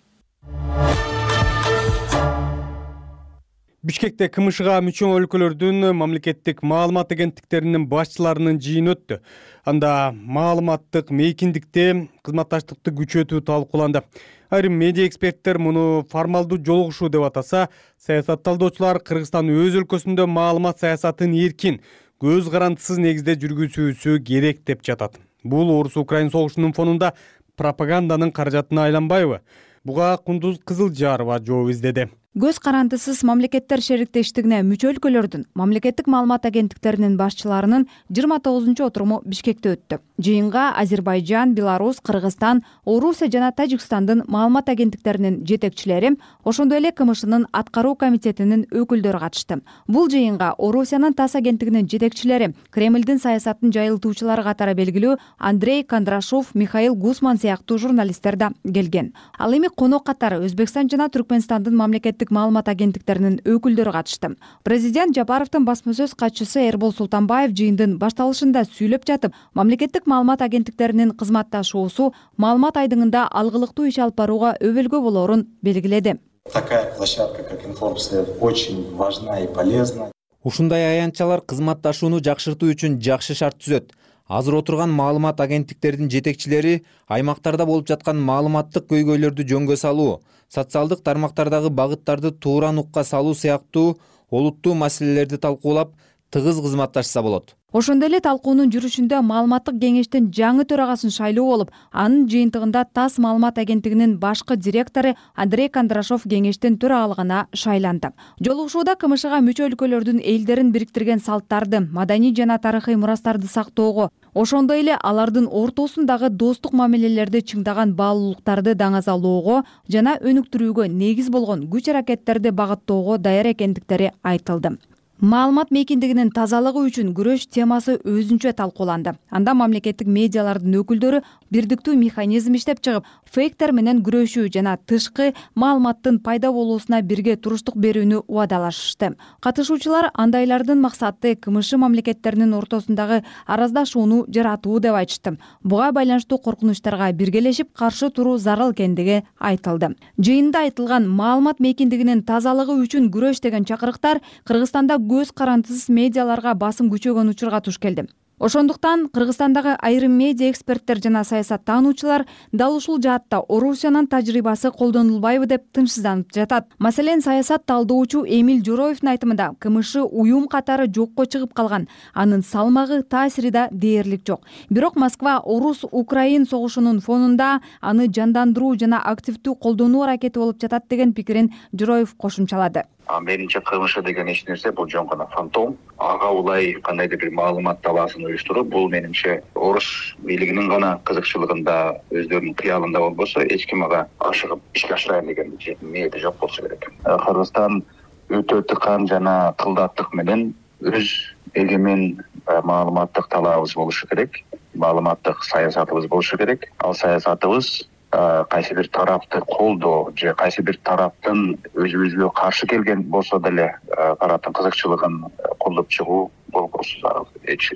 Бишкекте КМШга мүчө өлкөлөрдүн мамлекеттик маалымат агенттиктеринин башчыларынын жыйыны өттү. Анда маалыматтык мейкиндикте кызматташтыкты күчөтүү талкууланды. Айрым медиа эксперттер муну формалдуу жолугушуу деп атаса, саясатталдоочулар Кыргызстан өз өлкөсүндө маалымат саясатын эркин, көз карандысыз негизде жүргүзүүсү керек деп жатат. Бул Орус-Украин согушунун фонунда пропаганданын каражатына айланбайбы? Буга Кундуз Кызылжарова жооп издеди. Көз карандысыз мамлекеттер шериктештигине мүчө өлкөлөрдүн мамлекеттик маалымат агенттиктеринин башчыларынын жыйырма тогузунчу отуруму Бишкекте өттү. Жыйынга Азербайжан, Беларусь, Кыргызстан, Орусия жана Тажикстандын маалымат агенттиктеринин жетекчилери, ошондой эле КМШнын аткаруу комитетинин өкүлдөрү катышты. Бул жыйынга Орусиянын ТАСС агенттигинин жетекчилери, Кремлдин саясатын жайылтуучулары катары белгилүү Андрей Кондрашов, Михаил Гусман сыяктуу журналисттер да келген. Ал эми конок катары Өзбекстан жана Түркмөнстандын мамлекеттик маалымат агенттиктеринин өкүлдөрү катышты. Президент Жапаровдун басма сөз катчысы Эрбол Султанбаев жыйындын башталышында сүйлөп жатып, мамлекеттик маалымат агенттиктеринин кызматташуусу маалымат айдыңында алгылыктуу иш алып барууга өбөлгө болорун белгиледи. Такая площадка, как Информсвет, очень важна и полезна. Ушундай аянтчалар кызматташууну жакшыртуу үчүн жакшы шарт түзөт. Азыр отурган маалымат агенттиктеринин жетекчилери аймактарда болуп жаткан маалыматтык көйгөйлөрдү жөнгө салуу, социалдык тармактардагы багыттарды туура нукка салуу сыяктуу олуттуу маселелерди талкуулап, тыгыз кызматташса болот. Ошондой эле талкуунун жүрүшүндө маалыматтык кеңештин жаңы төрагасын шайлоо болуп, анын жыйынтыгында ТАСС маалымат агенттигинин башкы директору Андрей Кондрашов кеңештин төрагалыгына шайланды. Жолугушууда КМШга мүчө өлкөлөрдүн элдерин бириктирген салттарды, маданий жана тарыхый мурастарды сактоого, ошондой эле алардын ортосундагы достук мамилелерди чыңдаган баалуулуктарды даңазалоого жана өнүктүрүүгө негиз болгон күч аракеттерди багыттоого даяр экендиктери айтылды. Маалымат мейкиндигинин тазалыгы үчүн күрөш темасы өзүнчө талкууланды. Анда мамлекеттик медиалардын өкүлдөрү бирдиктүү механизм иштеп чыгып, фейктер менен күрөшүү жана тышкы маалыматтын пайда болуусуна бирге туруштук берүүнү убадалашышты. Катышуучулар андайлардын максаты КМШ мамлекеттеринин ортосундагы араздашууну жаратуу деп айтышты. Буга байланыштуу коркунучтарга биргелешип каршы туруу зарыл экендиги айтылды. Жыйында айтылган маалымат мейкиндигинин тазалыгы үчүн күрөш деген чакырыктар Кыргызстанда көз карандысыз медиаларга басым күчөгөн учурга туш келди. Ошондуктан Кыргызстандагы айрым медиа эксперттер жана саясаттануучулар дал ушул жаатта Орусиянын тажрыйбасы колдонулбайбы деп тынчсызданып жатат. Маселен, саясат талдоочу Эмиль Жороевдин айтымында КМШ уюм катары жокко чыгып калган, анын салмагы, таасири да дээрлик жок. Бирок Москва Орус-Украин согушунун фонунда аны жандандыруу жана активдүү колдонуу аракети болуп жатат деген пикирин Жороев кошумчалады. Менимче КМШ деген эч нерсе бул жөн гана фантом. Ага улай кандайдыр бир маалымат талаасын уюштуруп, бул менимче орус бийлигинин гана кызыкчылыгында, өздөрүнүн кыялында болбосо, эч ким ага ашыгып ишке ашырайын деген ниети жок болсо керек. Кыргызстан өтө тыкан жана кылдаттык менен өз эгемен маалыматтык талаабыбыз болушу керек, маалыматтык саясатыбыз болушу керек. Ал саясатыбыз кайсы бир тарапты колдоо же кайсы бир тараптын өзүбүзгө каршы келген болсо деле тараптын кызыкчылыгын колдоп чыгуу болбосу зарыл. Эч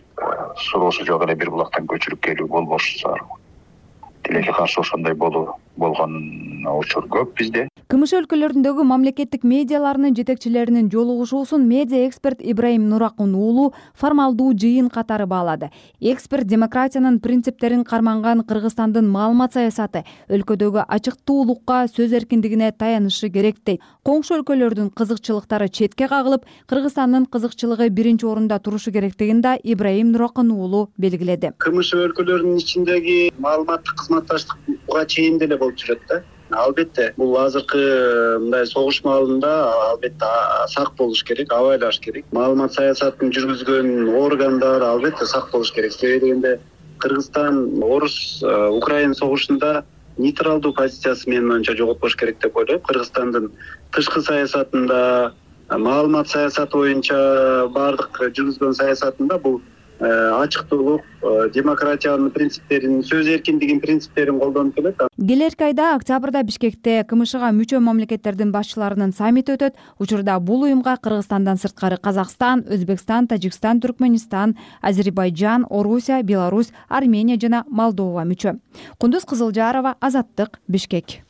суроосу жок эле бир булактан көчүрүп келүү болбошу зарыл. Тилекке каршы ошондой болуу болгон учур көп бизде. КМШ өлкөлөрүндөгү мамлекеттик медиаларынын жетекчилеринин жолугушуусун медиа эксперт Ибраим Нуракун уулу формалдуу жыйын катары баалады. Эксперт демократиянын принциптерин карманган Кыргызстандын маалымат саясаты өлкөдөгү ачыктуулукка, сөз эркиндигине таянышы керек дейт. Коңшу өлкөлөрдүн кызыкчылыктары четке кагылып, Кыргызстандын кызыкчылыгы биринчи орунда турушу керектигин да Ибраим Нуракун уулу белгиледи. КМШ өлкөлөрүнүн ичиндеги маалыматтык кызматташтык буга чейин деле болуп жүрөт да. Албетте бул азыркы мындай согуш маалында албетте сак болуш керек, абайлаш керек. Маалымат саясатын жүргүзгөн органдар албетте сак болуш керек. Себеби дегенде Кыргызстан орус Украин согушунда нейтралдуу позициясы менин оюмча жоготпош керек деп ойлойм. Кыргызстандын тышкы саясатында, маалымат саясаты боюнча бардык жүргүзгөн саясатында бул ачыктуулук, демократиянын принциптерин, сөз эркиндигинин принциптерин колдонуп келет. Келерки айда октябрда Бишкекте КМШга мүчө мамлекеттердин башчыларынын саммити өтөт. Учурда бул уюмга Кыргызстандан сырткары Казакстан, Өзбекстан, Тажикстан, Түркмөнистан, Азербайжан, Орусия, Беларусь, Армения жана Молдова мүчө. Кундуз Кызылжарова, Азаттык, Бишкек.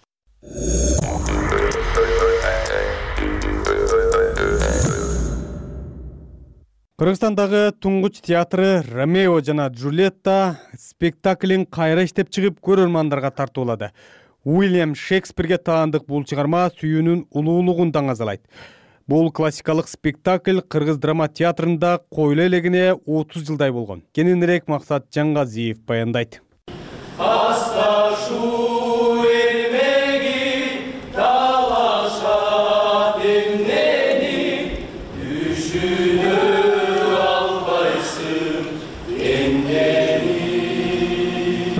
Кыргызстандагы туңгуч театры Ромео жана Джульетта спектаклин кайра иштеп чыгып көрөрмандарга тартуулады. Уильям Шекспирге таандык бул чыгарма сүйүүнүн улуулугун даңазалайт. Бул классикалык спектакль Кыргыз драма театрында коюла элегине отуз жылдай болгон. Кененирээк Максат Жаңгазиев баяндайт.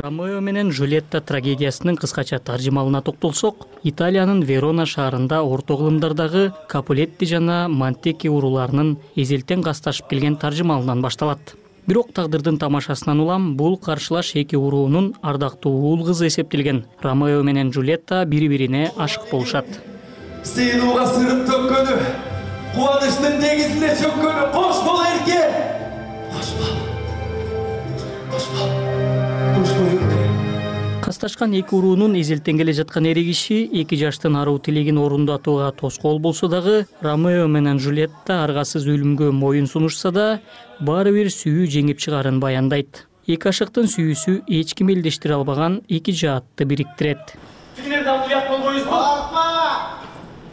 Ромео менен Джульетта трагедиясынын кыскача таржымалына токтолсок, Италиянын Верона шаарында орто кылымдардагы Капулетти жана Монтеки урууларынын эзелтен касташып келген таржымалынан башталат. Бирок тагдырдын тамашасынан улам бул каршылаш эки уруунун ардактуу уул кызы эсептелген Ромео менен Джульетта бири-бирине ашык болушат. Сыйлууга сырып төккөнү, кубанычтын негизине чөккөнү кош бол эрке. Кош бол. Кош бол. Касташкан эки уруунун эзелтен келе жаткан эри киши эки жаштын аруу тилегин орундатууга тоскоол болсо дагы, Ромео менен Джульетта аргасыз өлүмгө моюн сунушса да, баары бир сүйүү жеңип чыгарын баяндайт. Эки ашыктын сүйүүсү эч ким элдештире албаган эки жаатты бириктирет. Тигинерде ал уят болбойбузбу? Бакма!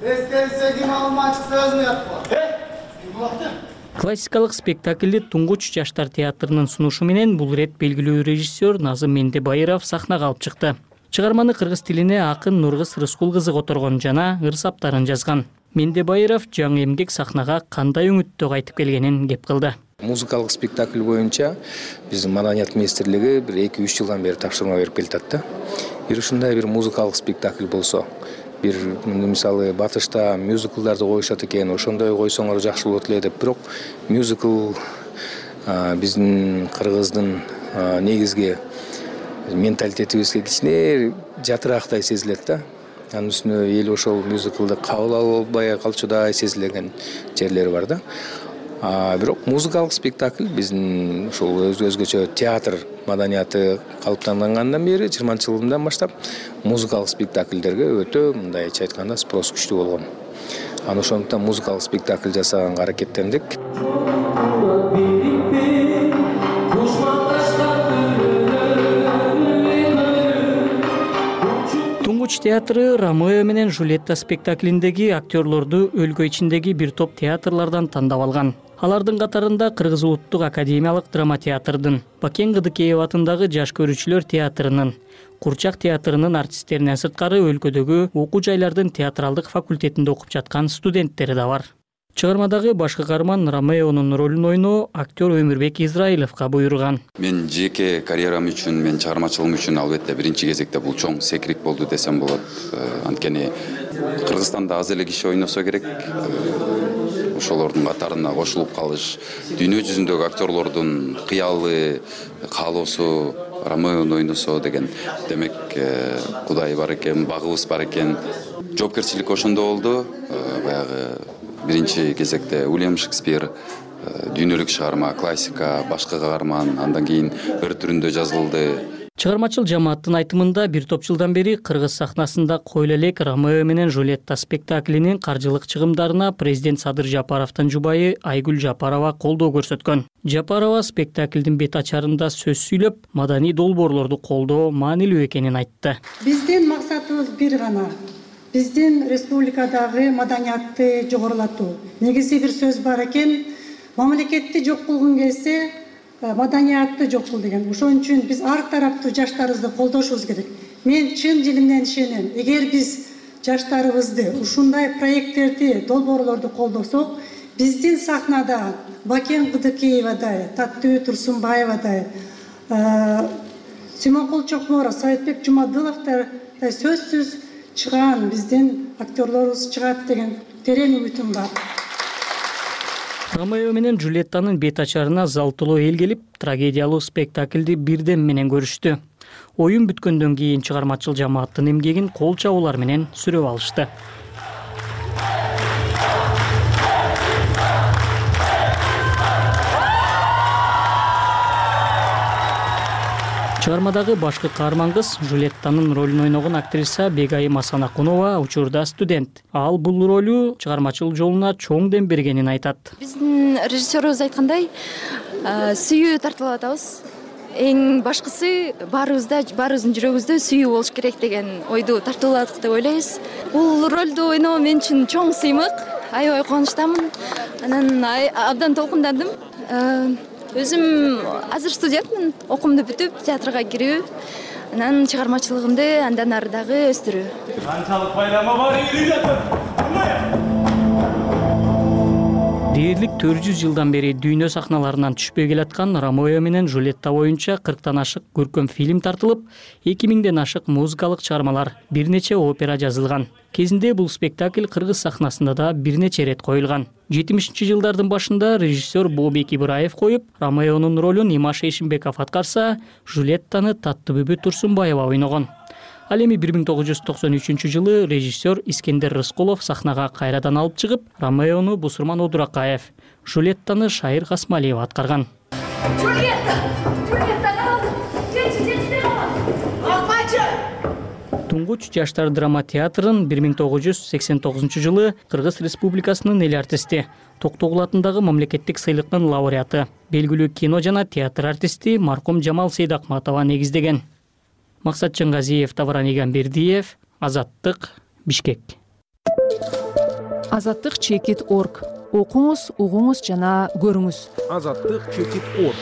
Эскерсе ким алмачы сөзүн уятпа. Э? Классикалык спектакльди Туңгуч жаштар театрынын сунушу менен бул ирет белгилүү режиссер Назым Мендебайыров сахнага алып чыкты. Чыгарманы кыргыз тилине акын Нургыз Рыскул кызы которгон жана ырсаптарын жазган. Мендебайыров жаңы эмгек сахнага кандай үмүттө кайтып келгенин кеп кылды. Музыкалык спектакль боюнча биздин маданият министрлиги бир эки үч жылдан бери тапшырма берип келатат да. Бир ушундай бир музыкалык спектакль болсо, бир мисалы батышта мюзиклдарды коюшат экен, ошондой койсоңор жакшы болот эле деп. Бирок мюзикл биздин кыргыздын негизги менталитетибизге кичине жатыраактай сезилет да. Анын үстүнө эл ошол мюзиклды кабыл албай калчудай сезилген жерлери бар да. Бирок музыкалык спектакль биздин ушул өзгөчө театр маданияты калыптангандан бери жыйырманчы жылдан баштап музыкалык спектакльдерге өтө мындайча айтканда спрос күчтүү болгон. Аны ошондуктан музыкалык спектакль жасаганга аракеттендик. Туңгуч театры Ромео менен Жульетта спектаклиндеги актерлорду өлкө ичиндеги бир топ театрлардан тандап алган. Алардын катарында Кыргыз улуттук академиялык драма театрдын, Бакен Кыдыкеев атындагы жаш көрүүчүлөр театрынын, Курчак театрынын артисттеринен сырткары өлкөдөгү окуу жайлардын театралдык факультетинде окуп жаткан студенттери да бар. Чыгармадагы башкы каарман Ромеонун ролун ойноо актер Өмүрбек Израиловго буйруган. Мен жеке карьерам үчүн, мен чыгармачылыгым үчүн албетте биринчи кезекте бул чоң секирик болду десем болот. Анткени Кыргызстанда аз эле киши ойносо керек. Ошолордун катарына кошулуп калыш, дүйнө жүзүндөгү актерлордун кыялы, каалоосу Ромеону ойносо деген. Демек, Кудай бар экен, багыбыз бар экен. Жоопкерчилик ошондо болду. Баягы биринчи кезекте Уильям Шекспир, дүйнөлүк чыгарма, классика, башкы каарман, андан кийин өр түрүндө жазылды. Чыгармачыл жамааттын айтымында бир топ жылдан бери Кыргыз сахнасында койла элек Ромео менен Жульетта спектаклинин каржылык чыгымдарына президент Садыр Жапаровдун жубайы Айгүл Жапарова колдоо көрсөткөн. Жапарова спектаклдин бет ачарында сөз сүйлөп, маданий долбоорлорду колдоо маанилүү экенин айтты. Биздин максатыбыз бир гана. Биздин республикадагы маданиятты жогорулатуу. Негизи бир сөз бар экен, мамлекетти жок кылгың келсе, маданиятты жок кыл деген. Ошон үчүн биз ар тараптуу жаштарыбызды колдошубуз керек. Мен чын дилимден ишенем. Эгер биз жаштарыбызды ушундай проекттерди, долбоорлорду колдосок, биздин сахнада Бакен Кыдыкеевадай, Таттыбү Турсунбаевадай, Симонкул Чокморов, Саатбек Жумадыловдор сөзсүз чыган биздин актерлорубуз чыгат деген терең үмүтүм бар. Ромео менен Жульеттанын бет ачарына зал толо эл келип, трагедиялуу спектаклди бирден менен көрүштү. Оюн бүткөндөн кийин чыгармачыл жамааттын эмгегин кол чабуулар менен сүрөп алышты. Чыгармадагы башкы каарман кыз Жульеттанын ролун ойногон актриса Бегайым Асанакунова учурда студент. Ал бул ролу чыгармачыл жолуна чоң дем бергенин айтат. Биздин режиссерубуз айткандай, сүйүү тартылып атабыз. Эң башкысы баарыбызда, баарыбыздын жүрөгүбүздө сүйүү болуш керек деген ойду тартууладык деп ойлойбуз. Бул ролду ойноо мен үчүн чоң сыймык. Аябай кубанычтамын. Анан абдан толкундандым. Өзүм азыр студентмин, окуумду бүтүп, театрга кирүү, анан чыгармачылыгымды андан ары дагы өстүрүү. Канчалык байлама бар эле жатат. Дээрлик төрт жүз жылдан бери дүйнө сахналарынан түшпөй келаткан Ромео менен Жульетта боюнча кырктан ашык көркөм фильм тартылып, эки миңден ашык музыкалык чыгармалар, бир нече опера жазылган. Кезинде бул спектакль Кыргыз сахнасында да бир нече рет коюлган. жетимишинчи жылдардын башында режиссер Бообек Ибраев коюп, Ромеонун ролун Имаш Эшимбеков аткарса, Жульеттаны Таттыбүбү Турсунбаева ойногон. Ал эми бир миң тогуз жүз токсон үчүнчү жылы режиссер Искендер Рыскулов сахнага кайрадан алып чыгып, Ромеону Бусурман Одуракаев, Жулеттаны Шайыр Касмалиева аткарган. Жулетта! Жулетта калды! Жети, жети, Акмачы! Туңгуч жаштар драма театрын бир миң тогуз жүз сексен тогузунчу жылы Кыргыз Республикасынын эл артисти, Токтогул атындагы мамлекеттик сыйлыктын лауреаты, белгилүү кино жана театр артисти маркум Жамал Сейдакматова негиздеген. Максат Чыңгазиев, Тавран Игамбердиев, Азаттык, Бишкек. Азаттык чекит точка орг. Окуңуз, угуңуз жана көрүңүз. Азаттык чекит точка орг.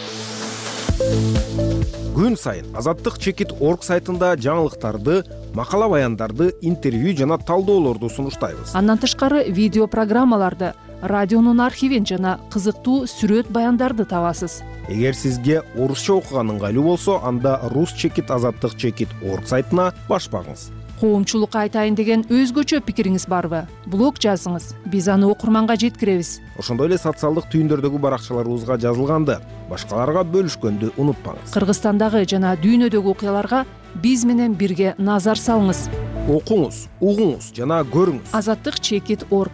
Күн сайын Азаттык чекит точка орг сайтында жаңылыктарды, макала баяндарды, интервью жана талдоолорду сунуштайбыз. Андан тышкары видео программаларды, радионун архивин жана кызыктуу сүрөт баяндарды табасыз. Эгер сизге орусча окуган ыңгайлуу болсо, анда рус чекит азаттык чекит точка орг сайтына баш багыңыз. коомчулукка айтайын деген өзгөчө пикириңиз барбы? Блог жазыңыз, биз аны окурманга жеткиребиз. Ошондой эле социалдык түйүндөрдөгү баракчаларыбызга жазылганды башкаларга бөлүшкөндү унутпаңыз. Кыргызстандагы жана дүйнөдөгү окуяларга биз менен бирге назар салыңыз. Окуңуз, угуңуз жана көрүңүз. азаттык чекит точка орг.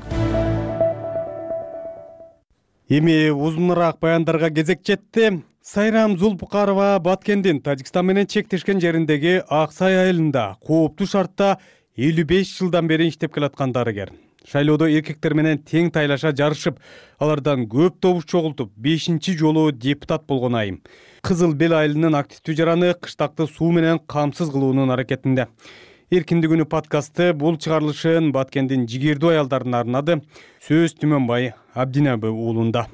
Эми узунураак баяндарга кезек жетти. Сайрам Зулпукарова Баткендин Тажикстан менен чектешкен жериндеги Ак Сай айылында кооптуу шартта элүү беш жылдан бери иштеп келаткан дарыгер. Шайлоодо эркектер менен тең тайлаша жарышып, алардан көп добуш чогултуп, бешинчи жолу депутат болгон айым. Кызыл Бел айылынын активдүү жараны кыштакты суу менен камсыз кылуунун аракетинде. Эркиндик күнү подкасты бул чыгарылышын Баткендин жигердүү аялдарына арнады. Сөз Түмөнбай Абдинаби уулунда.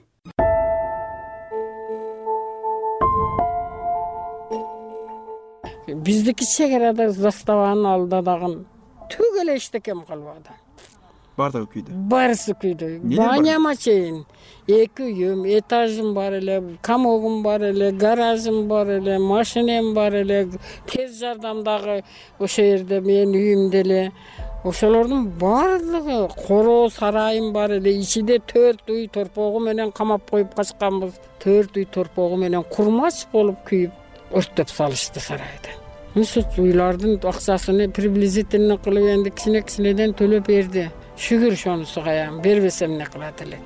Биздики чек арада заставанын алдында дагы түк эле эчтекем калбады. Бардыгы күйдү. Барысы күйдү. Баняма чейин эки үйүм, этажым бар эле, комогум бар эле, гаражым бар эле, машинем бар эле, тез жардамдагы ошо жерде менин үйүм деле. Ошолордун баардыгы, короо сарайым бар эле, ичинде төрт үй торпогу менен камап коюп качканбыз. төрт үй торпогу менен курмач болуп күйүп өрттөп салышты сарайды. Ошо уйлардын акчасын приблизительно кылып энди кичине-кичинеден төлөп берди. Шүгүр шонусу каям, бербесем эмне кылат элек.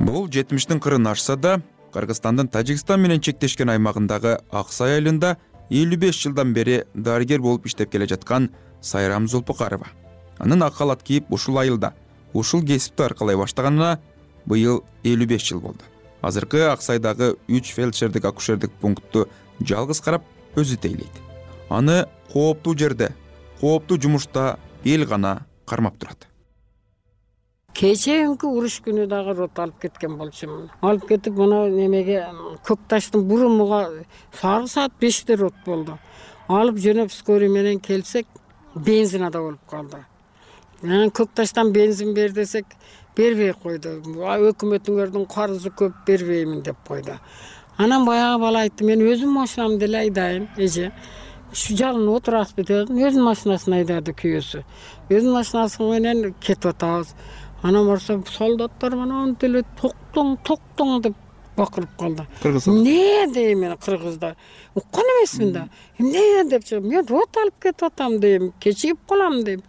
Бул жетимиштин кырын ашса да, Кыргызстандын Тажикстан менен чектешкен аймагындагы Ак Сай айылында элүү беш жылдан бери дарыгер болуп иштеп келе жаткан Сайрам Зулпукарова. Анын ак калат кийип ушул айылда, ушул кесипти аркалай баштаганына быйыл элүү беш жыл болду. Азыркы Ак Сайдагы үч фельдшердик акушердик пунктту жалгыз карап өзү тейлейт. Аны кооптуу жерде, кооптуу жумушта эл гана кармап турат. Кечеинки уруш күнү дагы рот алып кеткен болчумун. Алып кетип мына немеге Көк таштын бурумуга сары саат беште рот болду. Алып жөнөп скорый менен келсек, бензинада болуп калды. Мен Көк таштан бензин бер десек, бербей койду. Өкмөтүңөрдүн карызы көп, бербеймин деп койду. Анан баягы бала айтты, мен өзүм машинамды эле айдайын, эже. Şu жалын отурасызбы дедим, өзүнүн машинасын айдады күйөөсү. Өзүнүн машинасы менен кетип атабыз. Анан барса солдаттар менен деле токтоң, токтоң деп бакырып калды. Эмне дейм мен кыргыздар. Уккан эмесмин да. Эмне деп чыгып, мен рот алып кетип атам дейм, кечигип калам дейм.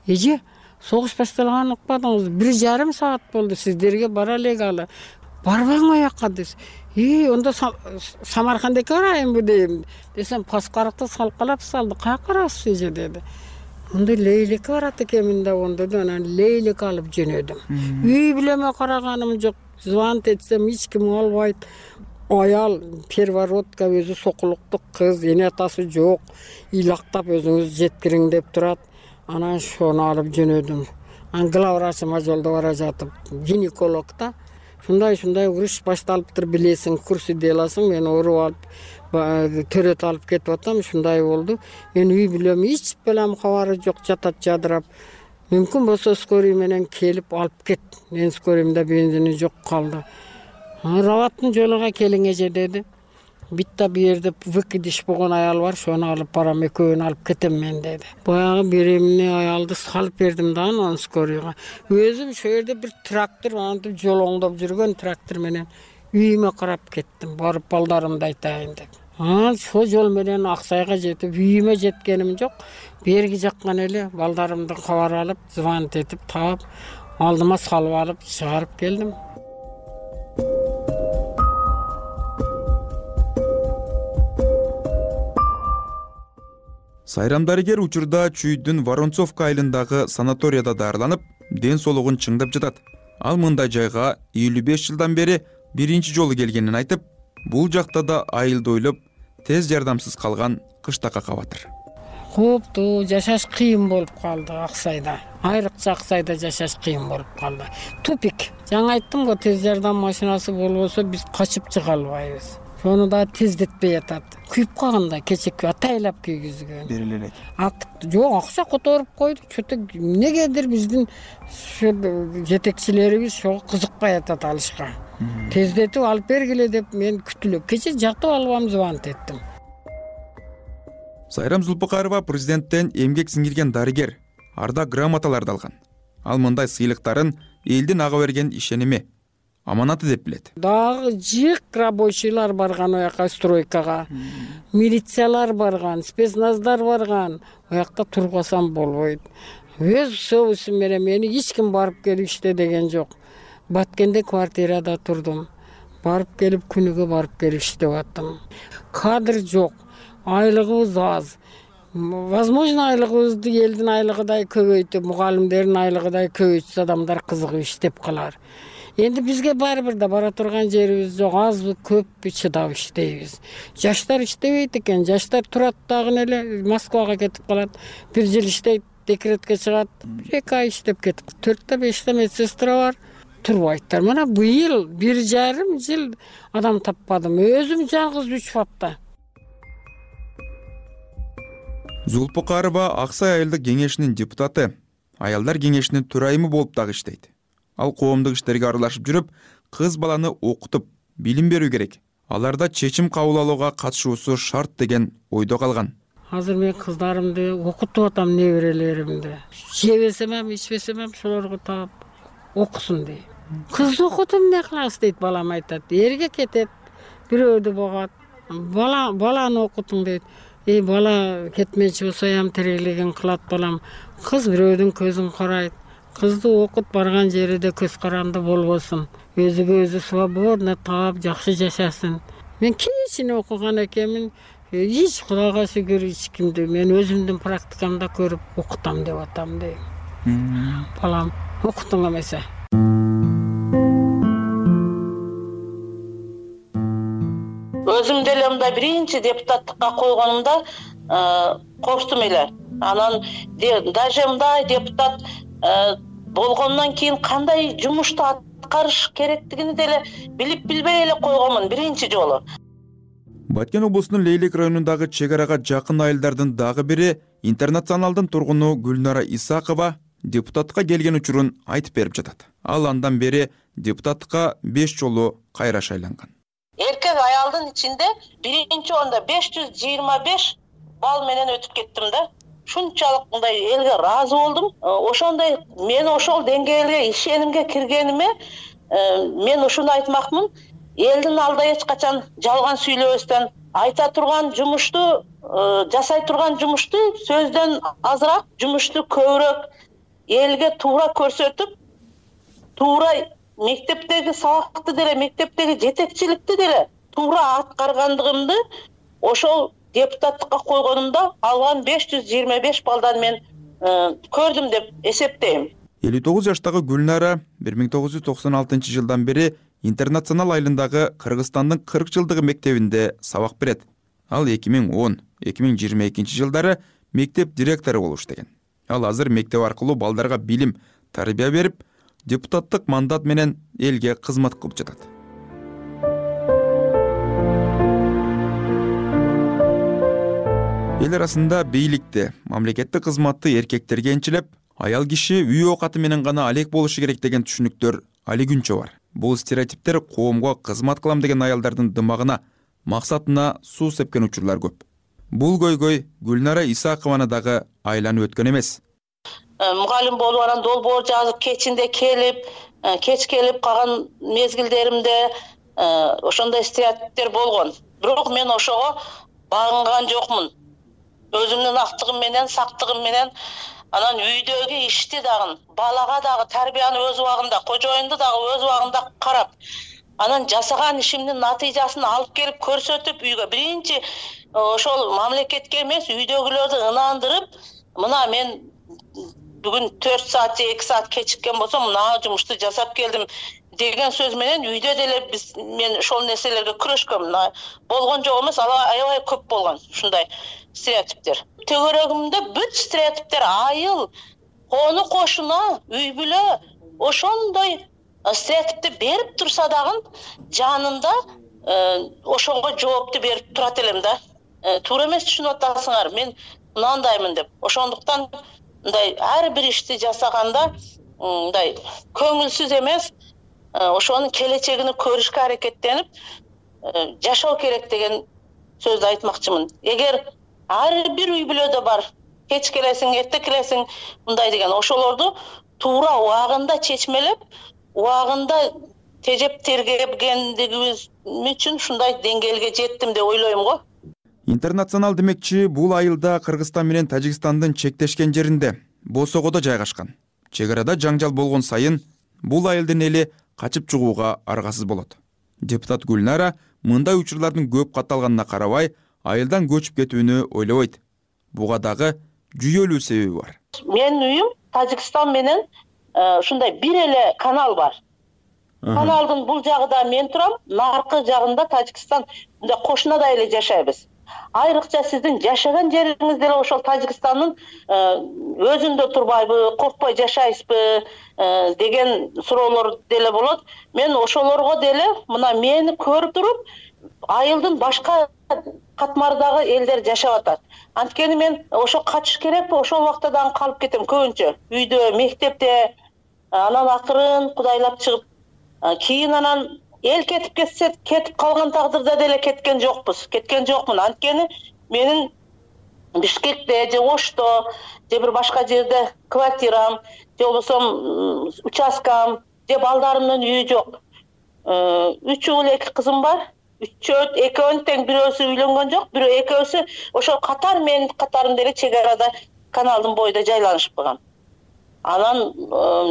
Эже, согуш башталганын укпадыңыз, бир жарым саат болду, сиздерге бара элек. Барбаң аяққа десе. И, онда Самаркандеке барайынбы дейм. Десем, паскаракты салкалап салды. Каяка барасыз эже деди. Онда Лейлекке барат экенмин да, онда да анан Лейлек алып жөнөдүм. Үй билеме караганым жок. Звонт этсем эч ким албайт. Аял первородка өзү сокулуктук кыз, эне атасы жок. Илактап өзүңүз жеткириң деп турат. Анан шону алып жөнөдүм. Анан главврачыма жолдо бара жатып, гинеколог да. Шундай-шундай уруш башталыптыр, билесиң, курсы деласың, мен ооруп алып, төрөт алып кетип атам, шундай болду. Мен үй билем, эч белем кабары жок, жатат жадырап. Мүмкүн болсо скорый менен келип алып кет. Мен скорыйымда бензини жок калды. Раваттын жолуга келиң эже деди. Битта бир жерде выкидиш болгон аял бар, шону алып барам, экөөнү алып кетем мен деди. Баягы беремне аялды салып бердим да анан скорыйга. Өзүм ошо жерде бир трактор антип жолоңдоп жүргөн трактор менен үйүмө карап кеттим, барып балдарымды айтайын деп. Анан ошол жол менен Ак Сайга жетип, үйүмө жеткеним жок. Берги жаккан эле балдарымды кабар алып, звонт этип таап, алдыма салып алып чыгарып келдим. Сайрам дарыгер учурда Чүйдүн Воронцовка айылындагы санаторияда дарыланып, ден соолугун чыңдап жатат. Ал мындай жайга элүү беш жылдан бери биринчи жолу келгенин айтып, бул жакта да айылды ойлоп, тез жардамсыз калган кыштакка кабатыр. Кооптуу, жашаш кыйын болуп калды Ак Сайда. Айрыкча Ак Сайда жашаш кыйын болуп калды. Тупик. Жаңа айттым го, тез жардам машинасы болбосо биз качып чыга албайбыз. Шону да тездетпей атат. Күйүп калганда кечек атайлап күйгүзгөн. Бериле элек. Жок, акча которуп койду. Чөтө эмнегедир биздин жетекчилерибиз ошого кызыкпай атат алышка. Тездетип алып бергиле деп мен күтүлөп. Кече жатып албам, звонт эттим. Сайрам Зулпукарова президенттен эмгек сиңирген дарыгер, ардак грамоталарды алган. Ал мындай сыйлыктарын элдин ага берген ишеними, аманаты деп билет. Дагы жык рабочийлар барган ояка стройкага, милициялар барган, спецназдар барган, оякта турбасам болбойт. Өз совусум менен мени эч ким барып келип иште деген жок. Баткенде квартирада турдум. Барып келип күнүгө барып келип иштеп аттым. Кадр жок, айлыгыбыз аз. Возможно, айлыгыбызды элдин айлыгыдай көбөйтүп, мугалимдердин айлыгыдай көбөйтсө адамдар кызыгып иштеп калар. Энди бизге баары бир да бара турган жерибиз жок, азбы, көппү чыдап иштейбиз. Жаштар иштебейт экен, жаштар турат дагы эле Москвага кетип калат. Бир жыл иштейт, декретке чыгат, эки ай иштеп кетип. төрттө беште медсестра бар, турбайттар. Мына быйыл бир жарым жыл адам таппадым. Өзүм жалгыз үч фапта. Зулпукарова Аксай айылдык кеңешинин депутаты, аялдар кеңешинин төрайымы болуп дагы иштейт. Ал коомдук иштерге аралашып жүрүп, кыз баланы окутуп, билим берүү керек. Аларда чечим кабыл алууга катышуусу шарт деген ойдо калган. Азыр мен кыздарымды окутуп атам, неберелеримди. Жебесем эм, ичпесем эм шолорго таап окусун дейм. Кыз окутуп эмне кыласыз дейт, балам айтат. Эрге кетет, бирөөдү богот. Бала баланы окутуң дейт. Эй, бала кетмечи болсо ям тирилигин кылат балам. Кыз бирөөдүн көзүн карайт. Кызды окут, барган жерде көз каранды болбосун. Өзүгө өзү свободно таап жакшы жашасын. Мен кичине окуган экенмин. Эч Кудайга шүгүр эч кимди мен өзүмдүн практикамда көрүп окутам деп атам дейм. Балам, окутуң эмесе. Өзүм деле мындай биринчи депутаттыкка койгонумда коштум эле. Анан даже мындай депутат болгондон кийин кандай жумушту аткарыш керектигини деле билип билбей эле койгонмун биринчи жолу. Баткен облусунун Лейлек районундагы чек арага жакын айылдардын дагы бири интернационалдын тургуну Гүлнара Исакова депутатка келген учурун айтып берип жатат. Ал андан бери депутатка беш жолу кайра шайланган. Эркек аялдын ичинде биринчи орунда беш жүз жыйырма беш балл менен өтүп кеттим да. Шунчалык мындай элге ыраазы болдум. Ошондой мен ошол деңгээлге ишенимге киргениме мен ушуну айтмакмын. Элдин алдында эч качан жалган сүйлөбөстөн, айта турган жумушту, жасай турган жумушту сөздөн азыраак, жумушту көбүрөөк элге туура көрсөтүп, туура мектептеги сабакты деле, мектептеги жетекчиликти деле туура аткаргандыгымды ошол депутаттыкка койгонумда алган беш жүз жыйырма беш балдан мен көрдүм деп эсептейм. элүү тогуз жаштагы Гүлнара бир миң тогуз жүз токсон алтынчы жылдан бери Интернационал айылындагы Кыргызстандын кырк жылдыгы мектебинде сабак берет. Ал эки миң он — эки миң жыйырма экинчи жылдары мектеп директору болуп иштеген. Ал азыр мектеп аркылуу балдарга билим, тарбия берип, депутаттык мандат менен элге кызмат кылып жатат. Эл арасында бийликте, мамлекеттик кызматты эркектерге энчилеп, аял киши үй оокаты менен гана алек болушу керек деген түшүнүктөр али күнчө бар. Бул стереотиптер коомго кызмат кылам деген аялдардын дымагына, максатына суу сепкен учурлар көп. Бул көйгөй Гүлнара Исакованы дагы айланып өткөн эмес. Мугалим болуп анан долбоор жазып, кечинде келип, кеч келип калган мезгилдеримде ошондой стереотиптер болгон. Бирок мен ошого багынган жокмун. Өзүмдүн актыгым менен, сактыгым менен анан үйдөгү ишти дагы, балага дагы тарбияны өз убагында, кожоюнду дагы өз убагында карап, анан жасаган ишимдин натыйжасын алып келип көрсөтүп, үйгө биринчи ошол мамлекетке эмес, үйдөгүлөрдү ынандырып, мына мен бүгүн төрт саат же эки саат кечиккен болсом, мына жумушту жасап келдим деген сөз менен үйдө деле биз мен ошол нерселерге күрөшкөм. Болгон жок эмес, аябай көп болгон ушундай стереотиптер. Төгөрөгүмдө бүт стереотиптер айыл, кону кошуна, үй бүлө ошондой стереотипти берип турса дагы жанында ошого жоопту берип турат элем да. Туура эмес түшүнүп атасыңар, мен мындаймын деп. Ошондуктан мындай ар бир ишти жасаганда мындай көңүлсүз эмес, ошонун келечегин көрүшкө аракеттенип жашоо керек деген сөздү айтмакчымын. Эгер ар бир үй бүлөдө бар. Кеч келесиң, эрте келесиң, мындай деген. Ошолорду туура убагында чечмелеп, убагында тежеп тергегендигибиз үчүн ушундай деңгээлге жеттим деп ойлойм го. Интернационал демекчи бул айылда Кыргызстан менен Тажикстандын чектешкен жеринде Босогодо жайгашкан. Чек арада жаңжал болгон сайын бул айылдын эли качып чыгууга аргасыз болот. Депутат Гүлнара мындай учурлардын көп катталганына карабай, айылдан көчүп кетүүнү ойлобойт. Буга дагы жүйөлүү себеби бар. Менин үйүм Тажикстан менен ушундай бир эле канал бар. Каналдын бул жагында мен турам, наркы жагында Тажикстан, мындай кошунада эле жашайбыз. Айрыкча сиздин жашаган жериңиз деле ошол Тажикстандын өзүндө турбайбы, коркпой жашайсызбы деген суроолор деле болот. Мен ошолорго деле мына мени көрүп туруп, айылдын башка катмардагы элдер жашап атат. Анткени мен ошо качыш керекпи, ошол убакта дагы калып кетем көбүнчө. Үйдө, мектепте, анан акырын кудайлап чыгып, кийин анан эл кетип кетсе, кетип калган тагдырда деле кеткен жокпуз. Кеткен жокмун. Анткени менин Бишкекте, же Ошто, же бир башка жерде квартирам, же болбосо участкам, же балдарымдын үйү жок. Үч уул, эки кызым бар. Үчөө, экөөнүн тең бирөөсү үйлөнгөн жок, бирөө экөөсү ошо катар менин катарым деле чек арада каналдын боюнда жайланышып калган. Анан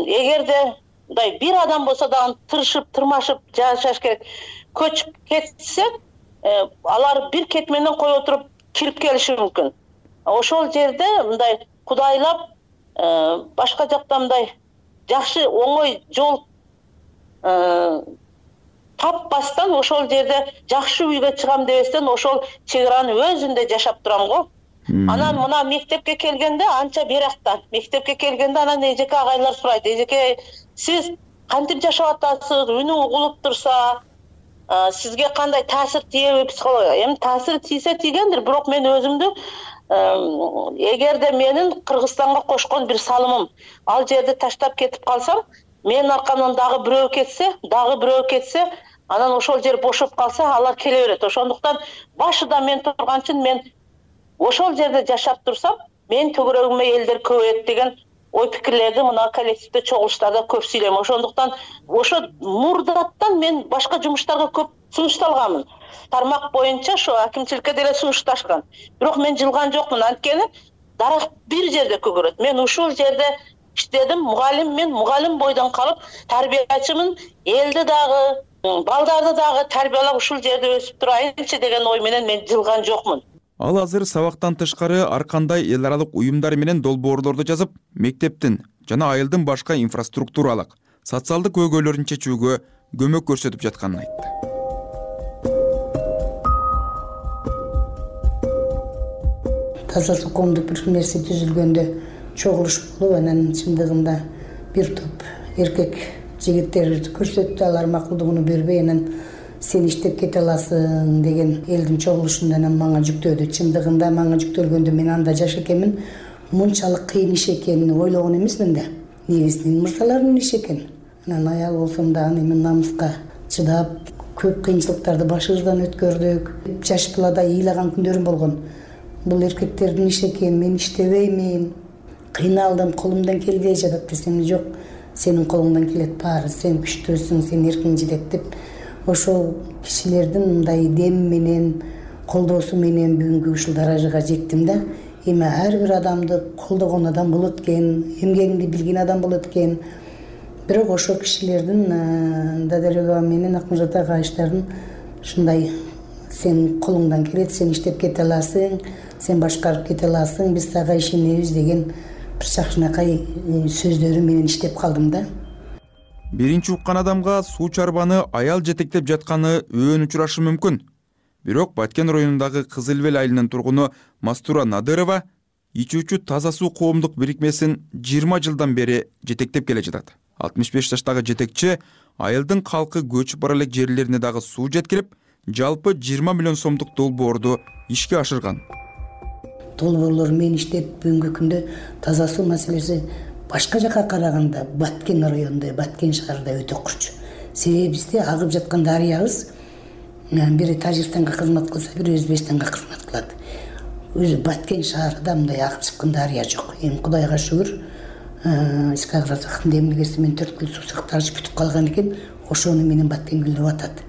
эгерде мындай бир адам болсо дагы тырышып, тырмашып жашаш керек. Көчүп кетсе, алар бир кет менен кое туруп кирип келиши мүмкүн. Ошол жерде мындай кудайлап, башка жакта мындай жакшы оңой жол таппастан ошол жерде жакшы үйгө чыгам дебестен ошол чек аранын өзүндө жашап турам го. Анан мына мектепке келгенде анча биракта. Мектепке келгенде анан эжеке агайлар сурайт. Эжеке, сиз кантип жашап атасыз? Үнүң угулуп турса, сизге кандай таасир тийеби психология? Эми таасир тийсе тийгендир, бирок мен өзүмдү эгерде менин Кыргызстанга кошкон бир салымым ал жерди таштап кетип калсам, менин аркамдан дагы бирөө кетсе, дагы бирөө кетсе, анан ошол жер бошоп калса, алар келе берет. Ошондуктан башында мен турганчын мен ошол жерде жашап турсам, мен төгөрөгүмө элдер көбөйөт деген ой пикирлерди мына коллективде чогулуштарда көп сүйлөйм. Ошондуктан ошо мурдаттан мен башка жумуштарга көп сунушталганмын. Тармак боюнча ошо акимчиликке деле сунушташкан. Бирок мен жылган жокмун, анткени дарак бир жерде көгөрөт. Мен ушул жерде иштедим, мугалим, мен мугалим бойдон калып, тарбиячымын, элди дагы, балдарды дагы тарбиялап ушул жерде өсүп турайынчы деген ой менен мен жылган жокмун. Ал азыр сабактан тышкары ар кандай эл аралык уюмдар менен долбоорлорду жазып, мектептин жана айылдын башка инфраструктуралык, социалдык көйгөйлөрүн чечүүгө көмөк көрсөтүп жатканын айтты. Таза суу коомдук бирикмеси түзүлгөндө чогулуш болуп, анан чындыгында бир топ эркек жигиттерди көрсөттү, алар макулдугун бербей, анан сен иштеп кете аласың деген элдин чогулушунда анан мага жүктөдү. Чындыгында мага жүктөлгөндө мен анда жаш экенмин, мынчалык кыйын иш экенин ойлогон эмесмин да. Негизинен мырзалардын иши экен. Анан аял болсом дагы эми намыска чыдап, көп кыйынчылыктарды башыбыздан өткөрдүк. Жаш балада ыйлаган күндөрүм болгон. Бул эркектердин иши экен, мен иштебеймин, кыйналдым, колумдан келбей жатат десем, жок, сенин колуңдан келет баары, сен күчтүүсүң, сен эркиң жетет деп ошол кишилердин мындай дем менен, колдоосу менен бүгүнкү ушул даражага жеттим да. Эми ар бир адамды колдогон адам болот экен, эмгегинди билген адам болот экен. Бирок ошол кишилердин Дадарева менен Акмурзат агайыштардын ушундай сен колуңдан келет, сен иштеп кете аласың, сен башкарып кете аласың, биз сага ишенебиз деген бир жакшынакай сөздөрү менен иштеп калдым да. Биринчи уккан адамга суу чарбаны аял жетектеп жатканы өөн учурашы мүмкүн. Бирок Баткен районундагы Кызыл Бел айылынын тургуну Мастура Надырова ичүүчү таза суу коомдук бирикмесин жыйырма жылдан бери жетектеп келе жатат. алтымыш беш жаштагы жетекчи айылдын калкы көчүп бара элек жерлерине дагы суу жеткирип, жалпы жыйырма миллион сомдук долбоорду ишке ашырган. Долбоорлор мен иштеп бүгүнкү күндө таза суу маселеси башка жака караганда Баткен районунда, Баткен шаарында өтө курч. Себеби бизде агып жаткан дарыябыз бири Тажикстанга кызмат кылса, бири Өзбекстанга кызмат кылат. өзү Баткен шаарында мындай агып чыккан дарыя жок. Эми Кудайга шүгүр, Исхак Разактын демилгеси менен төрт күн суу сактагыч бүтүп калган экен, ошону менен Баткен гүлдөп атат.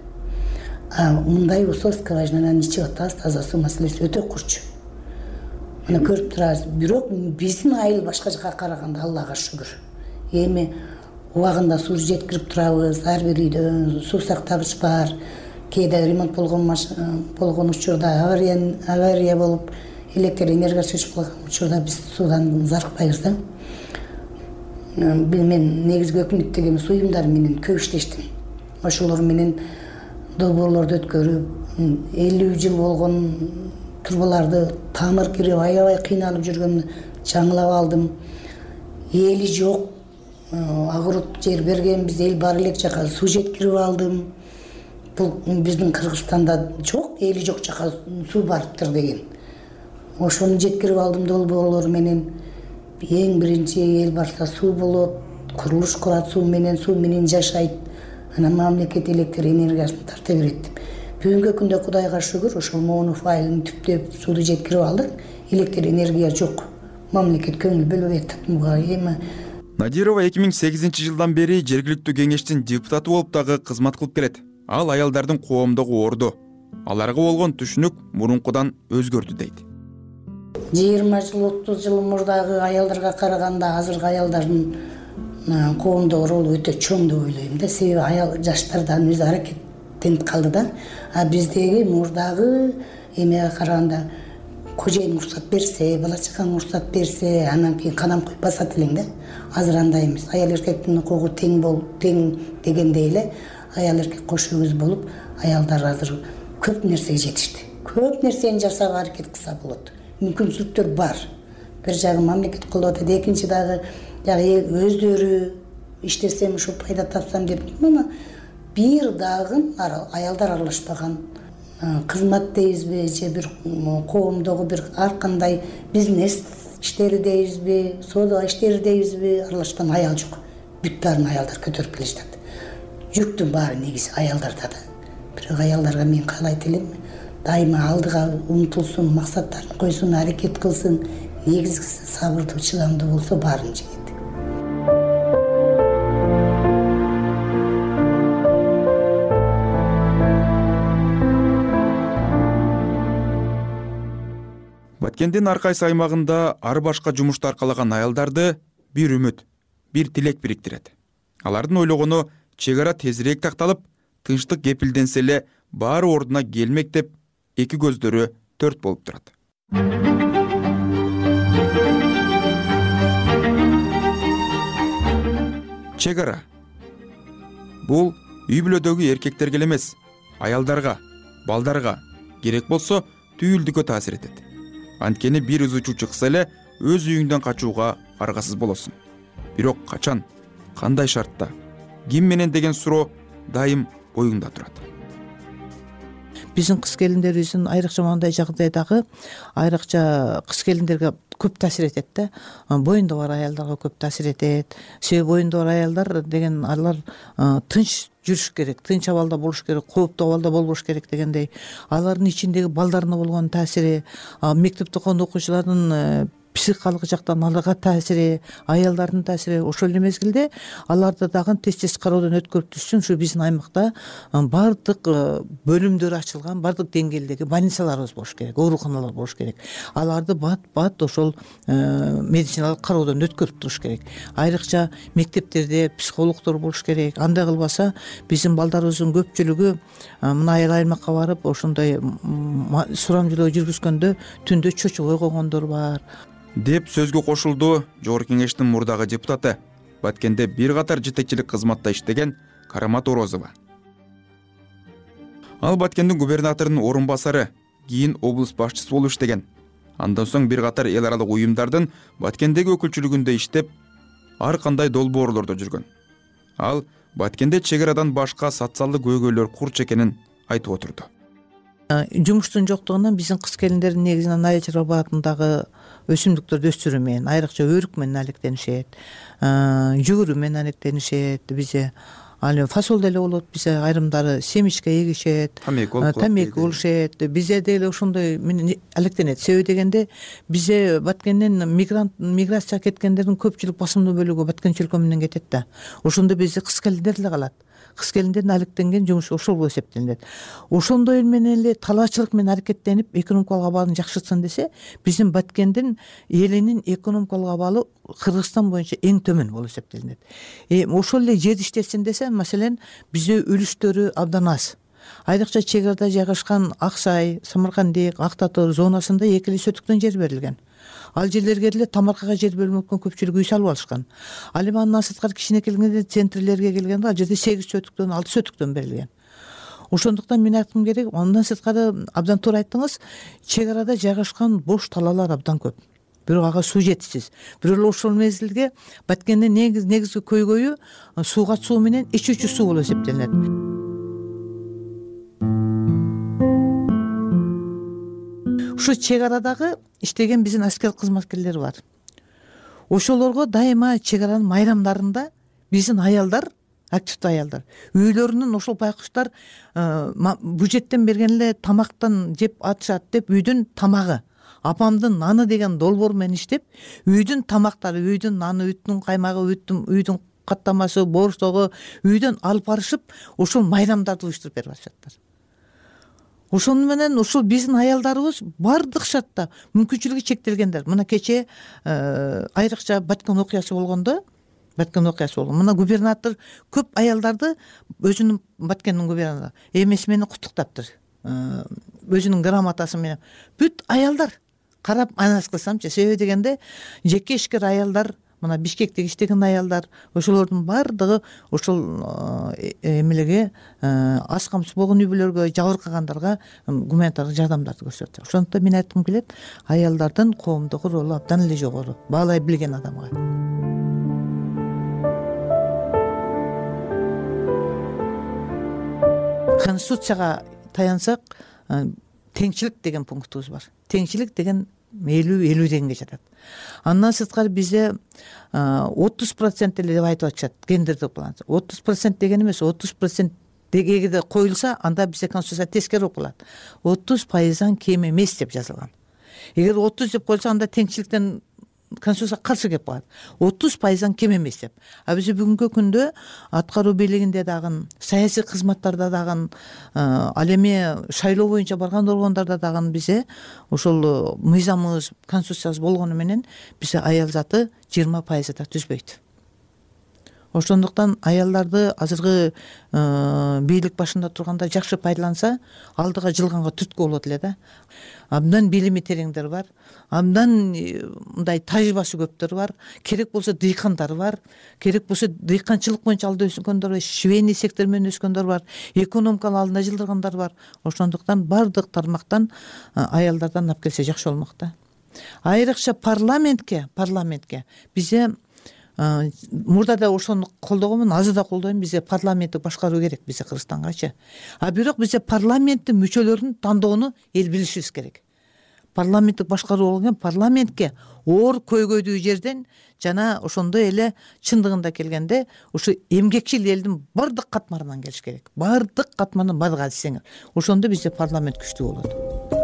А мындай болсо скважинадан ичип атабыз, таза суу маселеси өтө курч. Мына көрүп турабыз. Бирок биздин айыл башка жака караганда Аллага шүгүр. Эми убагында суу жеткирип турабыз, ар бир үйдө суу сактагыч бар. Кээде ремонт болгон болгон учурда авария авария болуп, электр энергиясы өчүп калган учурда биз суудан зарыкпайбыз да. Мен негизги өкмөттөгү суу уюмдары менен көп иштештим. Ошолор менен долбоорлорду өткөрүп, элүү жыл болгон турбаларды тамыр кирип, аябай кыйналып жүргөн жаңылап алдым. Эли жок, агурут жер бергенбиз, эл бар элек жака суу жеткирип алдым. Бул биздин Кыргызстанда жок, эли жок жака суу барыптыр деген. Ошону жеткирип алдым долбоорлор менен. Эң биринчи эл барса суу болот, курулуш курат суу менен, суу менен жашайт. Анан мамлекет электр энергиясын тарта берет деп. Бүгүнкү күндө Кудайга шүгүр, ошол Моунов айылын түптөп сууду жеткирип алдык. Электр энергия жок. Мамлекет көңүл бөлбөй атат буга. Эми Надирова эки миң сегизинчи жылдан бери жергиликтүү кеңештин депутаты болуп дагы кызмат кылып келет. Ал аялдардын коомдогу орду. Аларга болгон түшүнүк мурункудан өзгөрдү дейт. жыйырма жыл, отуз жыл мурдагы аялдарга караганда азыркы аялдардын коомдогу ролу өтө чоң деп ойлойм да. Себеби аял жаштардан өзү аракеттенип калды да. А биздеги мурдагы эмеге караганда кожоюн уруксат берсе, бала чакаң уруксат берсе, анан кийин кадам коюп басат элең да. Азыр андай эмес. Аял эркектин укугу тең бол, тең дегендей эле аял эркек кош өгүз болуп, аялдар азыр көп нерсеге жетишти. Көп нерсени жасаага аракет кылса болот. Мүмкүнчүлүктөр бар. Бир жагы мамлекет колдоп атат, экинчи дагы жагы өздөрү иштесем ушу пайда тапсам деп. Мына бир дагы аялдар аралашпаган кызмат дейбизби, же бир коомдогу бир ар кандай бизнес иштери дейбизби, соода иштери дейбизби, аралашкан аял жок. Бүт баарын аялдар көтөрүп келе жатат. Жүктүн баары негизи аялдарда да. Бирок аялдарга мен каалайт элем, дайыма алдыга умтулсун, максаттарын койсун, аракет кылсын. Негизгиси сабырдуу, чыдамдуу болсо баарын жеңет. Баткендин ар кайсы аймагында ар башка жумушту аркалаган аялдарды бир үмүт, бир тилек бириктирет. Алардын ойлогону чек ара тезирээк такталып, тынчтык кепилденсе эле баары ордуна келмек деп эки көздөрү төрт болуп турат. Чек ара. Бул үй бүлөдөгү эркектерге эле эмес, аялдарга, балдарга керек болсо түйүлдүккө таасир этет. Анткени бир ызычуу чыкса эле өз үйүңдөн качууга аргасыз болосуң. Бирок качан, кандай шартта, ким менен деген суроо дайым оюңда турат. Биздин кыз келиндерибиздин айрыкча мындай жагдайдагы айрыкча кыз келиндерге көп таасир этет да. Боюнда бар аялдарга көп таасир этет. Себеби боюнда бар аялдар деген алар тынч жүрүш керек, тынч абалда болуш керек, кооптуу абалда болбош керек дегендей. Алардын ичиндеги балдарына болгон таасири, мектепте окуган окуучулардын психикалык жактан аларга таасири, аялдардын таасири, ошол эле мезгилде аларды дагы тез-тез кароодон өткөрүп түшсүн. Ушу биздин аймакта баардык бөлүмдөр ачылган, баардык деңгээлдеги больницаларыбыз болуш керек, ооруканалар болуш керек. Аларды бат-бат ошол медициналык кароодон өткөрүп туруш керек. Айрыкча мектептерде психологдор болуш керек. Андай кылбаса биздин балдарыбыздын көпчүлүгү мына айыл аймакка барып ошондой сурамжылоо жүргүзгөндө түндө чочубой койгондор бар деп сөзгө кошулду Жогорку Кеңештин мурдагы депутаты, Баткенде бир катар жетекчилик кызматта иштеген Карамат Орозова. Ал Баткендин губернаторунун орун басары, кийин облус башчысы болуп иштеген. Андан соң бир катар эл аралык уюмдардын Баткендеги өкүлчүлүгүндө иштеп, ар кандай долбоорлордо жүргөн. Ал Баткенде чек арадан башка социалдык көйгөйлөр курч экенин айтып отурду. Жумуштун жоктугунан биздин кыз келиндердин негизинен айыл чарбаатындагы өсүмдүктөрдү өстүрүү менен, айрыкча өрүк менен алектенишет, жүгүрүү менен алектенишет. Бизде ал эми фасол деле болот, бизе айрымдары семечко эгишет, тамеки болушет. Бизе деле ошондой менен алектенет. Себеби дегенде бизе Баткенден мигрант миграция кеткендердин көпчүлүк басымдуу бөлүгү Баткен чөлкө менен кетет да. Ошондо бизде кыз келиндер эле калат. Кыз келиндердин алектенген жумушу ошол болуп эсептелинет. Ошондой менен эле талаачылык менен аракеттенип экономикалык абалын жакшыртсын десе, биздин Баткендин элинин экономикалык абалы Кыргызстан боюнча эң төмөн болуп эсептелинет. Ошол эле жерди иштетсин десе, маселен, бизде үлүштөрү абдан аз. Айрыкча чек арада жайгашкан Ак Сай, Самаркандик, Ак Татыр зонасында эки эле сотуктан жер берилген. Ал жерлерге деле тамаркага жер бөлүнүп аткан көпчүлүк үй салып алышкан. Ал эми андан сырткары кичине келгенде центрлерге келгенде ал жерде сегиз сотуктан, алты сотуктан берилген. Ошондуктан мен айткым керек, андан сырткары абдан туура айттыңыз, чек арада жайгашкан бош талаалар абдан көп. Бирок ага суу жетишсиз. Бирок эле ошол мезгилге Баткендин негизги көйгөйү сууга суу менен ичүүчү суу болуп эсептелинет. Ушу чек арадагы иштеген биздин аскер кызматкерлер бар. Ошолорго дайыма чек аранын майрамдарында биздин аялдар, активдүү аялдар, үйлөрүнүн ошол байкуштар бюджеттен берген эле тамактан жеп атышат деп үйдүн тамагы, апамдын наны деген долбоор менен иштеп, үйдүн тамактары, үйдүн наны, үйдүн каймагы, үйдүн каттамасы, борсогу үйдөн алып барышып, ошол майрамдарды уюштуруп берип атышаттар. Ошону менен ушул биздин аялдарыбыз бардык шартта мүмкүнчүлүгү чектелгендер. Мына кече айрыкча Баткен окуясы болгондо, Баткен окуясы болгон. Мына губернатор көп аялдарды өзүнүн Баткендин губернатору эмеси менен куттуктаптыр. Өзүнүн грамотасы менен. Бүт аялдар карап анализ кылсамчы, себеби дегенде жеке ишкер аялдар, мына Бишкекте иштеген аялдар, ошолордун бардыгы ошол эмелеге аз камсыз болгон үй бүлөлөргө, жабыркагандарга гуманитардык жардамдарды көрсөтөт. Ошондуктан мен айткым келет, аялдардын коомдогу ролу абдан эле жогору, баалай билген адамга. Конституцияга таянсак, теңчилик деген пунктубуз бар. Теңчилик деген элүү элүү дегенге жатат. Андан сырткары бизде отуз процент эле деп айтып атышат гендердик баланс. отуз процент деген эмес, отуз процент эгерде коюлса, анда бизде конституция тескери болуп калат. отуз пайыздан кем эмес деп жазылган. Эгер отуз деп коюлса, анда теңчиликтен конституция каршы келип калат. отуз пайыздан кем эмес деп. А биз бүгүнкү күндө аткаруу бийлигинде дагы, саясий кызматтарда дагы, ал эми шайлоо боюнча барган органдарда дагы бизе ошол мыйзамыбыз, конституциябыз болгону менен бизде аял заты жыйырма пайызы да түзбөйт. Ошондуктан аялдарды азыркы бийлик башында турганда жакшы пайдаланса, алдыга жылганга түрткү болот эле да. Абдан билими тереңдер бар, абдан мындай тажрыйбасы көптөр бар, керек болсо дыйкандар бар, керек болсо дыйканчылык боюнча алда өскөндөр бар, швейный сектор менен өскөндөр бар, экономиканы алдына жылдыргандар бар. Ошондуктан бардык тармактан аялдардан алып келсе жакшы болмок да. Айрыкча парламентке, парламентке бизде мурда да ошону колдогонмун, азыр да колдойм, бизде парламентти башкаруу керек бизде Кыргызстангачы. А бирок бизде парламенттин мүчөлөрүн тандоону эл билишибиз керек. Парламенттик башкаруу болгон парламентке оор көйгөйдүү жерден жана ошондой эле чындыгында келгенде ушу эмгекчил элдин бардык катмарынан келиш керек. Бардык катмарынан бардык алсеңер. Ошондо бизде парламент күчтүү болот.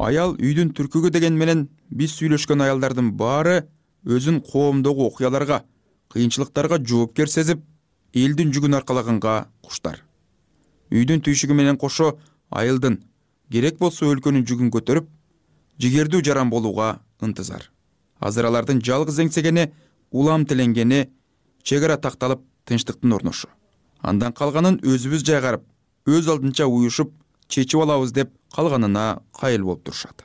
Аял үйдүн түркүгү деген менен биз сүйлөшкөн аялдардын баары өзүн коомдогу окуяларга, кыйынчылыктарга жоопкер сезип, элдин жүгүн аркалаганга куштар. Үйдүн түйшүгү менен кошо айылдын, керек болсо өлкөнүн жүгүн көтөрүп, жигердүү жаран болууга ынтызар. Азыр алардын жалгыз эңсегени, улам тиленгени чек ара такталып, тынчтыктын орношу. Андан калганын өзүбүз жайгарып, өз алдынча уюшуп, чечип алабыз деп калганына кайыл болуп турушат.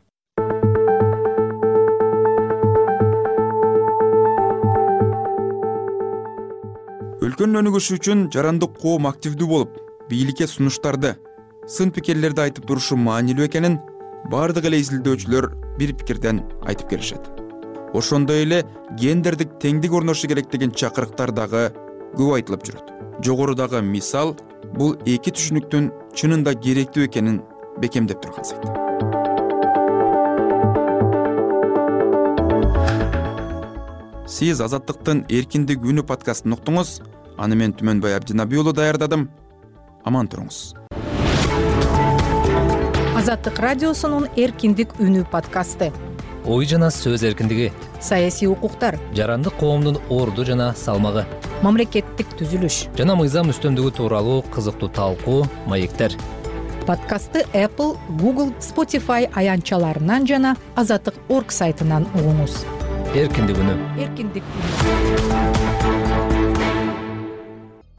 Өлкөнүн өнүгүшү үчүн жарандык коом активдүү болуп, бийликке сунуштарды, сын пикирлерди айтып турушу маанилүү экенин бардык эле изилдөөчүлөр бир пикирден айтып келишет. Ошондой эле гендердик теңдик орношу керек деген чакырыктар дагы көп айтылып жүрөт. Жогорудагы мисал бул эки түшүнүктүн чынында керектүү экенин бекемдеп турган сайт. Сиз Азаттыктын Эркиндик үнү подкастын уктуңуз. Аны мен Түмөнбай Абдинабий уулу даярдадым. Аман туруңуз. Азаттык радиосунун Эркиндик үнү подкасты. Ой жана сөз эркиндиги, Саясий укуктар, жарандык коомдун орду жана салмагы, мамлекеттик түзүлүш жана мыйзам үстөмдүгү тууралуу кызыктуу талкуу, маектер. Подкастты Apple, Google, Spotify аянтчаларынан жана Азаттык точка орг сайтынан угуңуз. Эркиндик үнү. Эркиндик.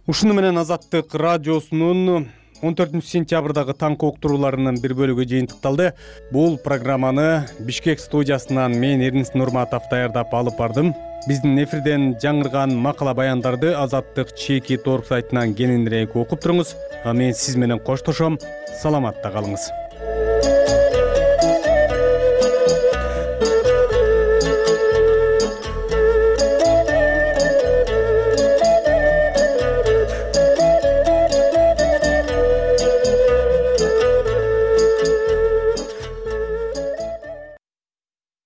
Ушуну менен Азаттык радиосунун он төртүнчү сентябрдагы таңкы уктурууларынын бир бөлүгү жыйынтыкталды. Бул программаны Бишкек студиясынан мен Эрнис Нурматов даярдап алып бардым. Биздин эфирден жаңырган макала баяндарды Азаттык точка орг сайтынан кененирээк окуп туруңуз. А мен сиз менен коштошом. Саламатта калыңыз.